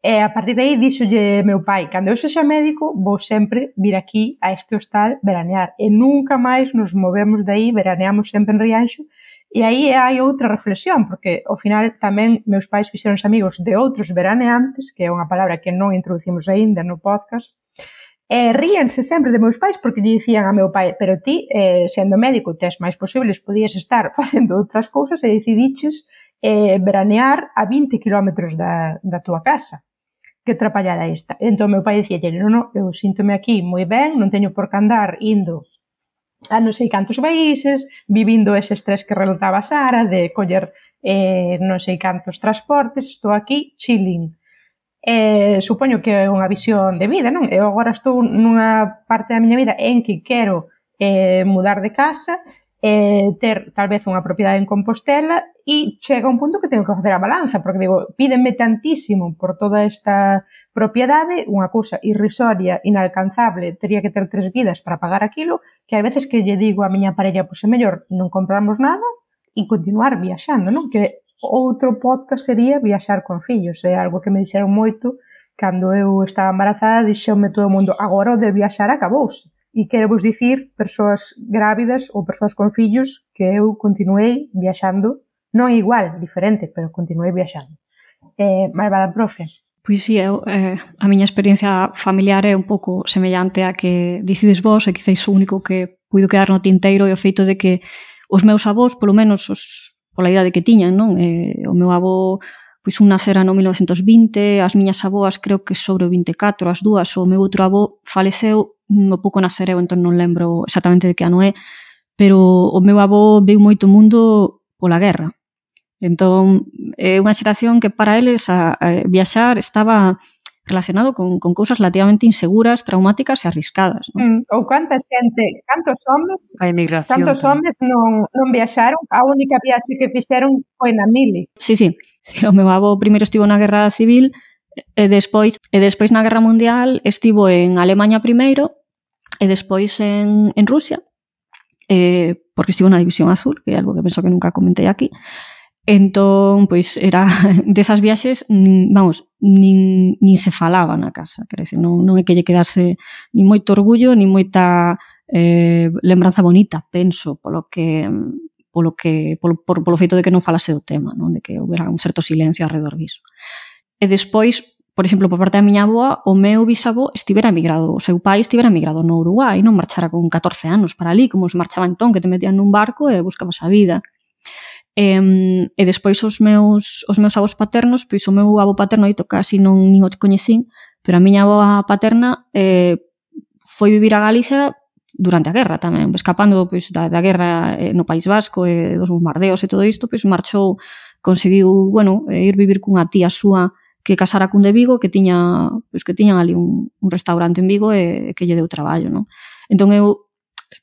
e a partir de aí dixolle meu pai, cando eu sexa médico, vou sempre vir aquí a este hostal veranear, e nunca máis nos movemos de aí, veraneamos sempre en Rianxo, e aí hai outra reflexión, porque ao final tamén meus pais fixeronse amigos de outros veraneantes, que é unha palabra que non introducimos aínda no podcast, e ríanse sempre de meus pais porque lle dicían a meu pai, pero ti, eh, sendo médico, tes máis posibles, podías estar facendo outras cousas e decidiches eh, veranear a vinte kilómetros da, da túa casa. Que trapallada esta. Entón, meu pai dicía, non, non, eu síntome aquí moi ben, non teño por que andar indo a non sei cantos países, vivindo ese estrés que relataba Sara, de coller eh, non sei cantos transportes, estou aquí chilling. Eh, supoño que é unha visión de vida, non? Eu agora estou nunha parte da miña vida en que quero eh, mudar de casa, eh, ter tal vez unha propiedade en Compostela e chega un punto que tengo que facer a balanza, porque digo, pídenme tantísimo por toda esta propiedade, unha cousa irrisoria, inalcanzable, teria que ter tres vidas para pagar aquilo, que hai veces que lle digo a miña parella, pois é mellor non comprarmos nada e continuar viaxando, non? Que outro podcast sería viaxar con fillos, é algo que me dixeron moito cando eu estaba embarazada, dixeume todo o mundo, agora o de viaxar acabouse. E quero vos dicir, persoas grávidas ou persoas con fillos, que eu continuei viaxando, non igual, diferente, pero continuei viaxando. Eh, malvada profe. Pois sí, eu, eh, a miña experiencia familiar é un pouco semellante a que dicides vos, e quizáis o único que puido quedar no tinteiro é o feito de que os meus avós, polo menos os, pola idade que tiñan, non? Eh, o meu avó, pois un nasera no mil novecentos vinte, as miñas avoas creo que sobre o vinte e catro, as dúas, o meu outro avó faleceu no pouco nacereu, entón non lembro exactamente de que ano é, pero o meu avó veu moito mundo pola guerra. Entón, é unha xeración que para eles a, a viaxar estaba relacionado con, con cousas relativamente inseguras, traumáticas e arriscadas. Non? Mm, ou canta xente, cantos homes, a emigración, cantos homes non, non viaxaron, a única viaxe que fixeron foi na mili. Sí, sí, o meu avó primeiro estivo na Guerra Civil, e despois, e despois na Guerra Mundial estivo en Alemaña primeiro, e despois en, en Rusia, eh, porque estivo na División Azul, que é algo que penso que nunca comentei aquí. Entón, pois, era desas viaxes, nin, vamos, nin, nin se falaba na casa, quer dizer, non, non é que lle quedase ni moito orgullo, ni moita eh, lembranza bonita, penso, polo que polo que polo, por, polo feito de que non falase do tema, non? De que houbera un certo silencio alrededor diso. E despois, por exemplo, por parte da miña avoa, o meu bisavó estivera emigrado, o seu pai estivera emigrado no Uruguai, non marchara con catorce anos para ali, como se marchaba entón, que te metían nun barco e buscabas a vida. E, e despois os meus, os meus avós paternos, pois o meu avó paterno dito casi non nin o coñecín, pero a miña avoa paterna eh, foi vivir a Galicia durante a guerra tamén, escapando pois, da, da guerra no País Vasco e dos bombardeos e todo isto, pois marchou, conseguiu, bueno, ir vivir cunha tía súa que casara cun de Vigo, que tiña, pois, que tiñan ali un, un restaurante en Vigo e que lle deu traballo, non? Entón eu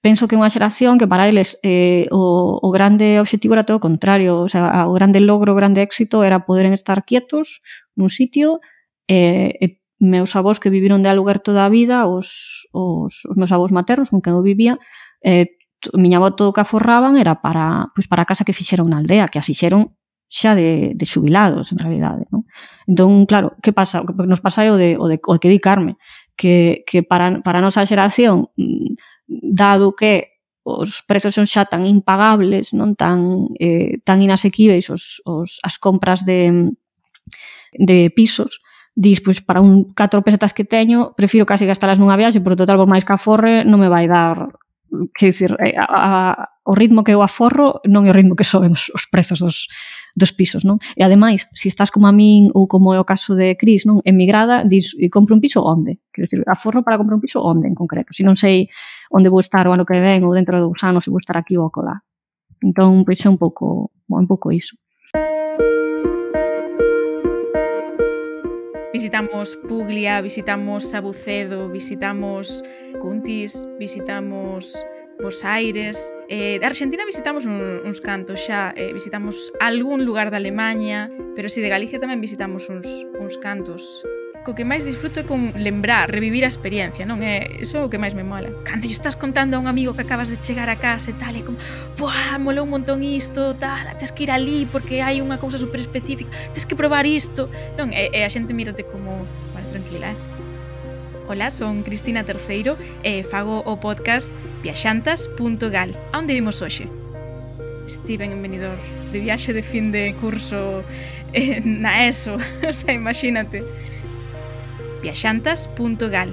penso que é unha xeración que para eles eh, o, o grande obxectivo era todo o contrario, o sea, o grande logro, o grande éxito era poder estar quietos nun sitio e, e meus avós que viviron de aluguer toda a vida, os, os, os meus avós maternos con quen eu vivía, eh, miña avó todo o que aforraban era para, pois para a casa que fixeron na aldea, que a fixeron xa de, de xubilados, en realidade. Non? Entón, claro, que pasa? O que nos pasa é o de, o de, o de que dedicarme, que, que para, para a nosa xeración, dado que os prezos son xa tan impagables, non tan, eh, tan inasequíveis os, os, as compras de, de pisos, dis, pois, para un catro pesetas que teño, prefiro casi gastalas nunha viaxe, porque total, por máis que aforre, non me vai dar, que dicir, a, a, o ritmo que eu aforro non é o ritmo que soben os, os prezos dos, dos pisos, non? E ademais, se estás como a min ou como é o caso de Cris, non? Emigrada, dis, e compro un piso onde? Quero dicir, aforro para comprar un piso onde en concreto? Se non sei onde vou estar o ano que ven ou dentro de dous anos se vou estar aquí ou acolá. Entón, pois é un pouco, un pouco iso. Visitamos Puglia, visitamos Sabucedo, visitamos Cuntis, visitamos Bos Aires. Eh, de Argentina visitamos un, uns cantos xa, eh, visitamos algún lugar de Alemanha, pero si de Galicia tamén visitamos uns, uns cantos. Co que máis disfruto é con lembrar, revivir a experiencia, non? É, iso é o que máis me mola. Cando yo estás contando a un amigo que acabas de chegar a casa e tal, e como, buah, molou un montón isto, tal, tens que ir ali porque hai unha cousa super específica, tens que probar isto, non? E, e a xente mírate como, vale, tranquila, eh? Hola, son Cristina Terceiro e fago o podcast viaxantas punto gal. A onde vimos hoxe? Estiven en Benidorm, de viaxe de fin de curso eh, na ESO, o sea, imagínate. viaxantas punto gal.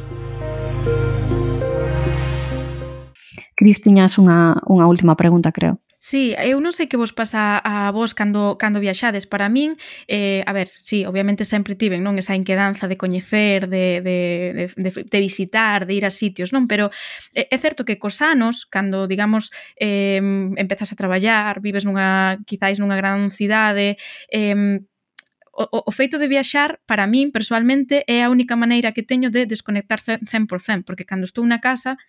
Cris, tiñas unha, unha última pregunta, creo. Sí, eu non sei que vos pasa a vos cando, cando viaxades. Para min, eh, a ver, sí, obviamente sempre tiven, non, esa inquedanza de coñecer, de, de, de, de, de visitar, de ir a sitios, non? Pero é, é certo que cos anos, cando, digamos, eh, empezas a traballar, vives nunha, quizáis nunha gran cidade, eh, o, o feito de viaxar, para min, personalmente, é a única maneira que teño de desconectar cen por cento, porque cando estou na casa,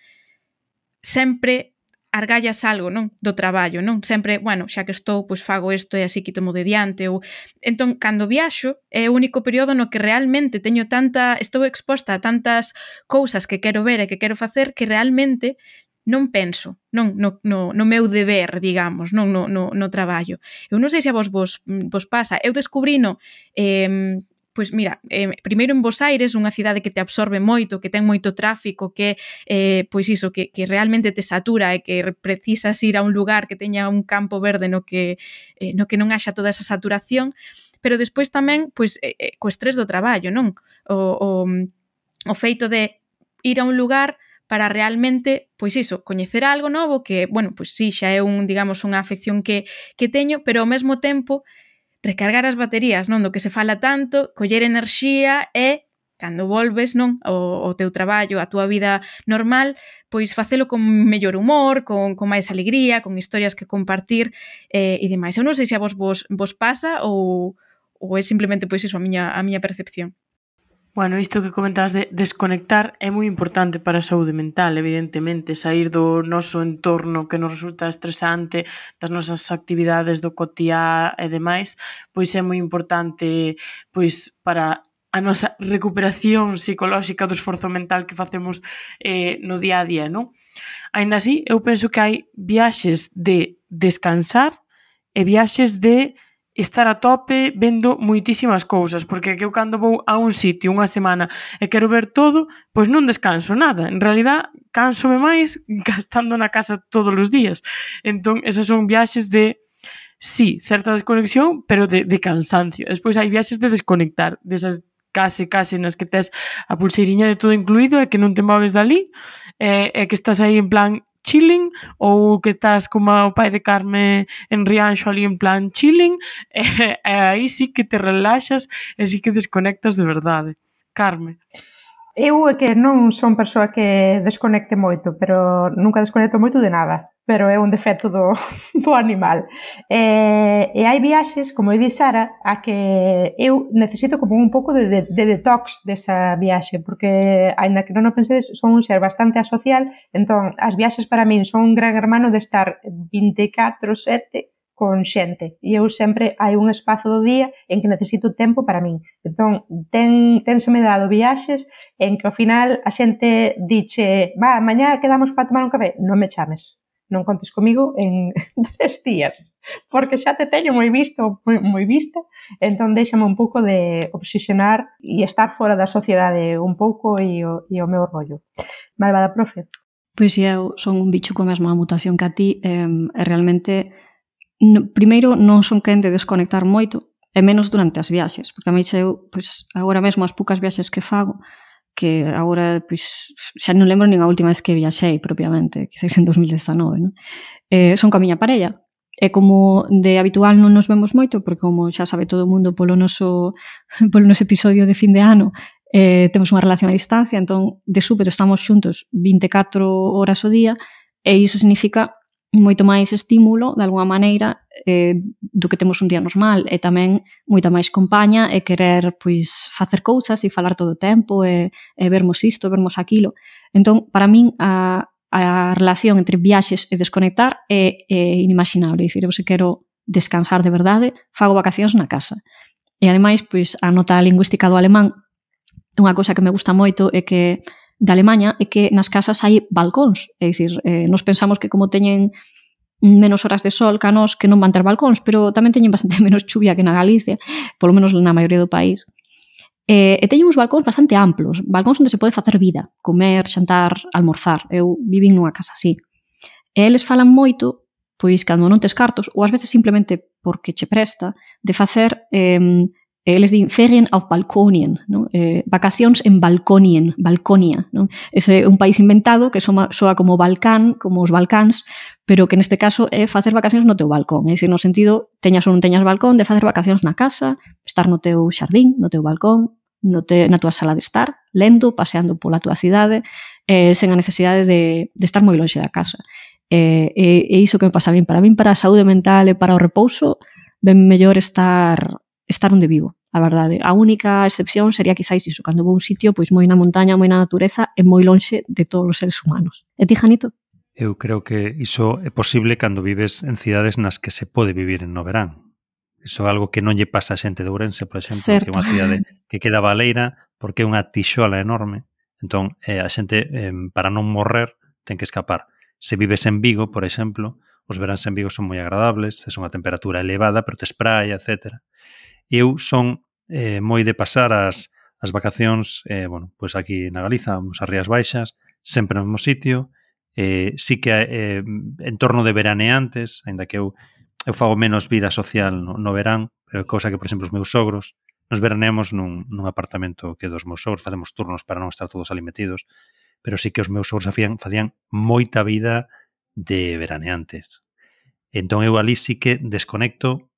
sempre argallas algo, non? Do traballo, non? Sempre, bueno, xa que estou, pois fago isto e así quitomo de diante, ou... Entón, cando viaxo, é o único período no que realmente teño tanta... Estou exposta a tantas cousas que quero ver e que quero facer que realmente non penso, non, no, no, no meu deber, digamos, non no, no, no traballo. Eu non sei se a vos vos, vos pasa. Eu descubrino... Eh, Pois mira, eh, primeiro en Bos Aires, unha cidade que te absorbe moito, que ten moito tráfico, que eh, pois iso, que, que realmente te satura e que precisas ir a un lugar que teña un campo verde no que, eh, no que non haxa toda esa saturación, pero despois tamén pois, eh, co estrés do traballo, non? O, o, o feito de ir a un lugar para realmente, pois iso, coñecer algo novo que, bueno, pois sí, xa é un, digamos, unha afección que, que teño, pero ao mesmo tempo recargar as baterías, non, do que se fala tanto, coller enerxía e, cando volves, non, o, o teu traballo, a túa vida normal, pois facelo con mellor humor, con, con máis alegría, con historias que compartir eh, e demais. Eu non sei se a vos vos, vos pasa ou, ou é simplemente, pois iso, a miña, a miña percepción. Bueno, isto que comentabas de desconectar é moi importante para a saúde mental, evidentemente, sair do noso entorno que nos resulta estresante, das nosas actividades do cotiá e demais, pois é moi importante pois para a nosa recuperación psicolóxica do esforzo mental que facemos eh, no día a día, non? Aínda así, eu penso que hai viaxes de descansar e viaxes de estar a tope vendo moitísimas cousas, porque que eu cando vou a un sitio unha semana e quero ver todo, pois non descanso nada. En realidad, cánsome máis gastando na casa todos os días. Entón, esas son viaxes de, sí, certa desconexión, pero de, de cansancio. Despois hai viaxes de desconectar, desas case, case nas que tes a pulseiriña de todo incluído e que non te moves dali, e, e que estás aí en plan chilling, ou que estás como o pai de Carme en Rianxo ali en plan chilling, e, e aí sí que te relaxas e sí que desconectas de verdade. Carme. Eu é que non son persoa que desconecte moito, pero nunca desconecto moito de nada, pero é un defecto do, do animal. E, e hai viaxes, como di Sara, a que eu necesito como un pouco de, de, de detox desa viaxe, porque, aínda que non o pensedes, son un ser bastante asocial, entón as viaxes para min son un gran hermano de estar vinte e catro sete con xente, e eu sempre hai un espazo do día en que necesito tempo para min. Entón, ten, tenseme dado viaxes en que ao final a xente diche, va, mañá quedamos para tomar un café, non me chames, non contes comigo en tres días, porque xa te teño moi visto, moi, moi vista, entón déxame un pouco de obsesionar e estar fora da sociedade un pouco e o, e o meu rollo. Malvada profe. Pois eu son un bicho coa mesma mutación que a ti, e, e realmente no, primeiro non son quen de desconectar moito, e menos durante as viaxes, porque a mí eu, pois, agora mesmo as poucas viaxes que fago, que agora pois, xa non lembro nin a última vez que viaxei propiamente, que sei en dos mil dezanove, non? Eh, son coa miña parella. E como de habitual non nos vemos moito, porque como xa sabe todo o mundo polo noso, polo noso episodio de fin de ano, eh, temos unha relación a distancia, entón de súpeto estamos xuntos vinte e catro horas ao día, e iso significa moito máis estímulo, de alguma maneira, eh, do que temos un día normal, e tamén moita máis compaña e querer pois facer cousas e falar todo o tempo e, e vermos isto, vermos aquilo. Entón, para min, a, a relación entre viaxes e desconectar é, é inimaginable. É dicir, eu se quero descansar de verdade, fago vacacións na casa. E ademais, pois, a nota lingüística do alemán, unha cousa que me gusta moito é que de Alemanha é que nas casas hai balcóns, é dicir, eh, nos pensamos que como teñen menos horas de sol que a nos que non van ter balcóns, pero tamén teñen bastante menos chuvia que na Galicia, polo menos na maioría do país. E, e teñen uns balcóns bastante amplos, balcóns onde se pode facer vida, comer, xantar, almorzar. Eu vivín nunha casa así. E eles falan moito, pois cando non tes cartos, ou ás veces simplemente porque che presta, de facer... Eh, eles din Ferien auf Balkonien, non? Eh, vacacións en Balkonien, Balconia, non? Ese é un país inventado que soa, soa como Balcán, como os Balcáns, pero que neste caso é facer vacacións no teu balcón, é dicir, no sentido, teñas ou non teñas balcón, de facer vacacións na casa, estar no teu xardín, no teu balcón, no te, na tua sala de estar, lendo, paseando pola tua cidade, eh, sen a necesidade de, de estar moi lonxe da casa. E, e, e iso que me pasa a min, para min, para a saúde mental e para o repouso, ben mellor estar... estar onde vivo, a verdade. A única excepción sería quizáis iso, cando vou a un sitio pois moi na montaña, moi na natureza e moi lonxe de todos os seres humanos. E ti, Janito? Eu creo que iso é posible cando vives en cidades nas que se pode vivir no verán. Iso é algo que non lle pasa a xente de Ourense, por exemplo, certo. Que é unha cidade que queda baleira porque é unha tixola enorme. Entón, eh, a xente, eh, para non morrer, ten que escapar. Se vives en Vigo, por exemplo, os veráns en Vigo son moi agradables, tes unha temperatura elevada, pero tes praia, etcétera. Eu son eh, moi de pasar as, as vacacións eh, bueno, pois aquí na Galiza, vamos a Rías Baixas, sempre no mesmo sitio, eh, sí que eh, en torno de veraneantes, aínda que eu, eu fago menos vida social no, no verán, pero é cousa que, por exemplo, os meus sogros, nos veraneamos nun, nun apartamento que dos meus sogros, facemos turnos para non estar todos ali metidos, pero sí que os meus sogros facían, facían moita vida de veraneantes. Entón eu ali sí que desconecto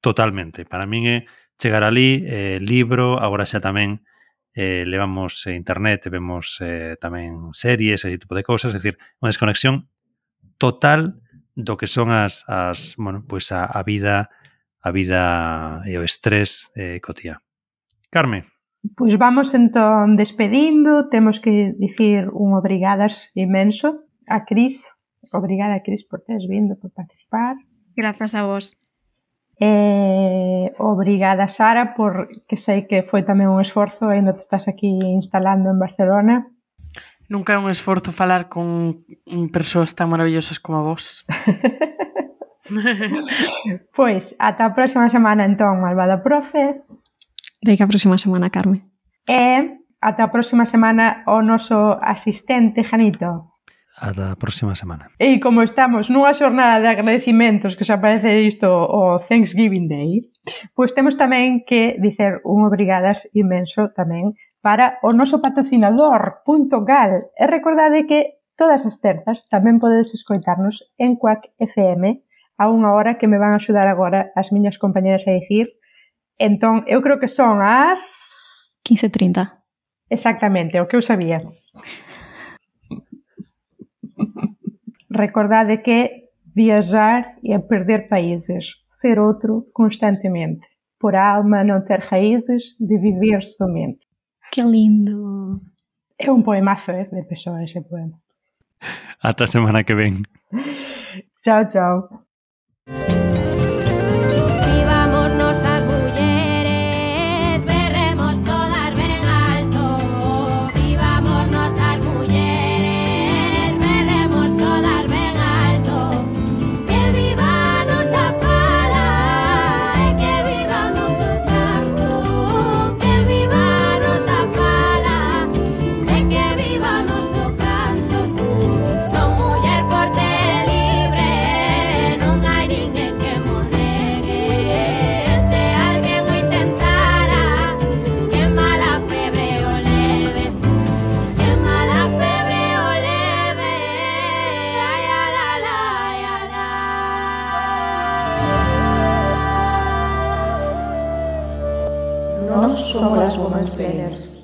totalmente. Para min é chegar ali, eh, libro, agora xa tamén eh, levamos eh, internet e vemos eh, tamén series, ese tipo de cousas, é dicir, unha desconexión total do que son as, as bueno, pois a, a vida a vida e o estrés eh, cotía. Carme. Pois vamos entón despedindo, temos que dicir un obrigadas inmenso a Cris. Obrigada, Cris, por teres vindo, por participar. Grazas a vos. Eh, obrigada, Sara, porque sei que foi tamén un esforzo, ainda te estás aquí instalando en Barcelona. Nunca é un esforzo falar con persoas tan maravillosas como a vos. Pois, ata a próxima semana, entón, malvada profe. Deica a próxima semana, Carme. E ata a próxima semana o noso asistente, Janito. Ata a próxima semana. E como estamos nunha xornada de agradecimentos que xa parece isto o Thanksgiving Day, pois temos tamén que dicer un obrigadas inmenso tamén para o noso patrocinador Punto Gal. E recordade que todas as terzas tamén podedes escoitarnos en Quack F M a unha hora que me van a axudar agora as miñas compañeras a dicir. Entón, eu creo que son as... quince e trinta. Exactamente, o que eu sabía. Recordade que viajar é perder países, ser outro constantemente. Por a alma não ter raízes, de viver somente. Que lindo! É un poemazo, eh, de Pessoa ese poema. Ata a semana que ven. Chao, chao. somos las Women's Players.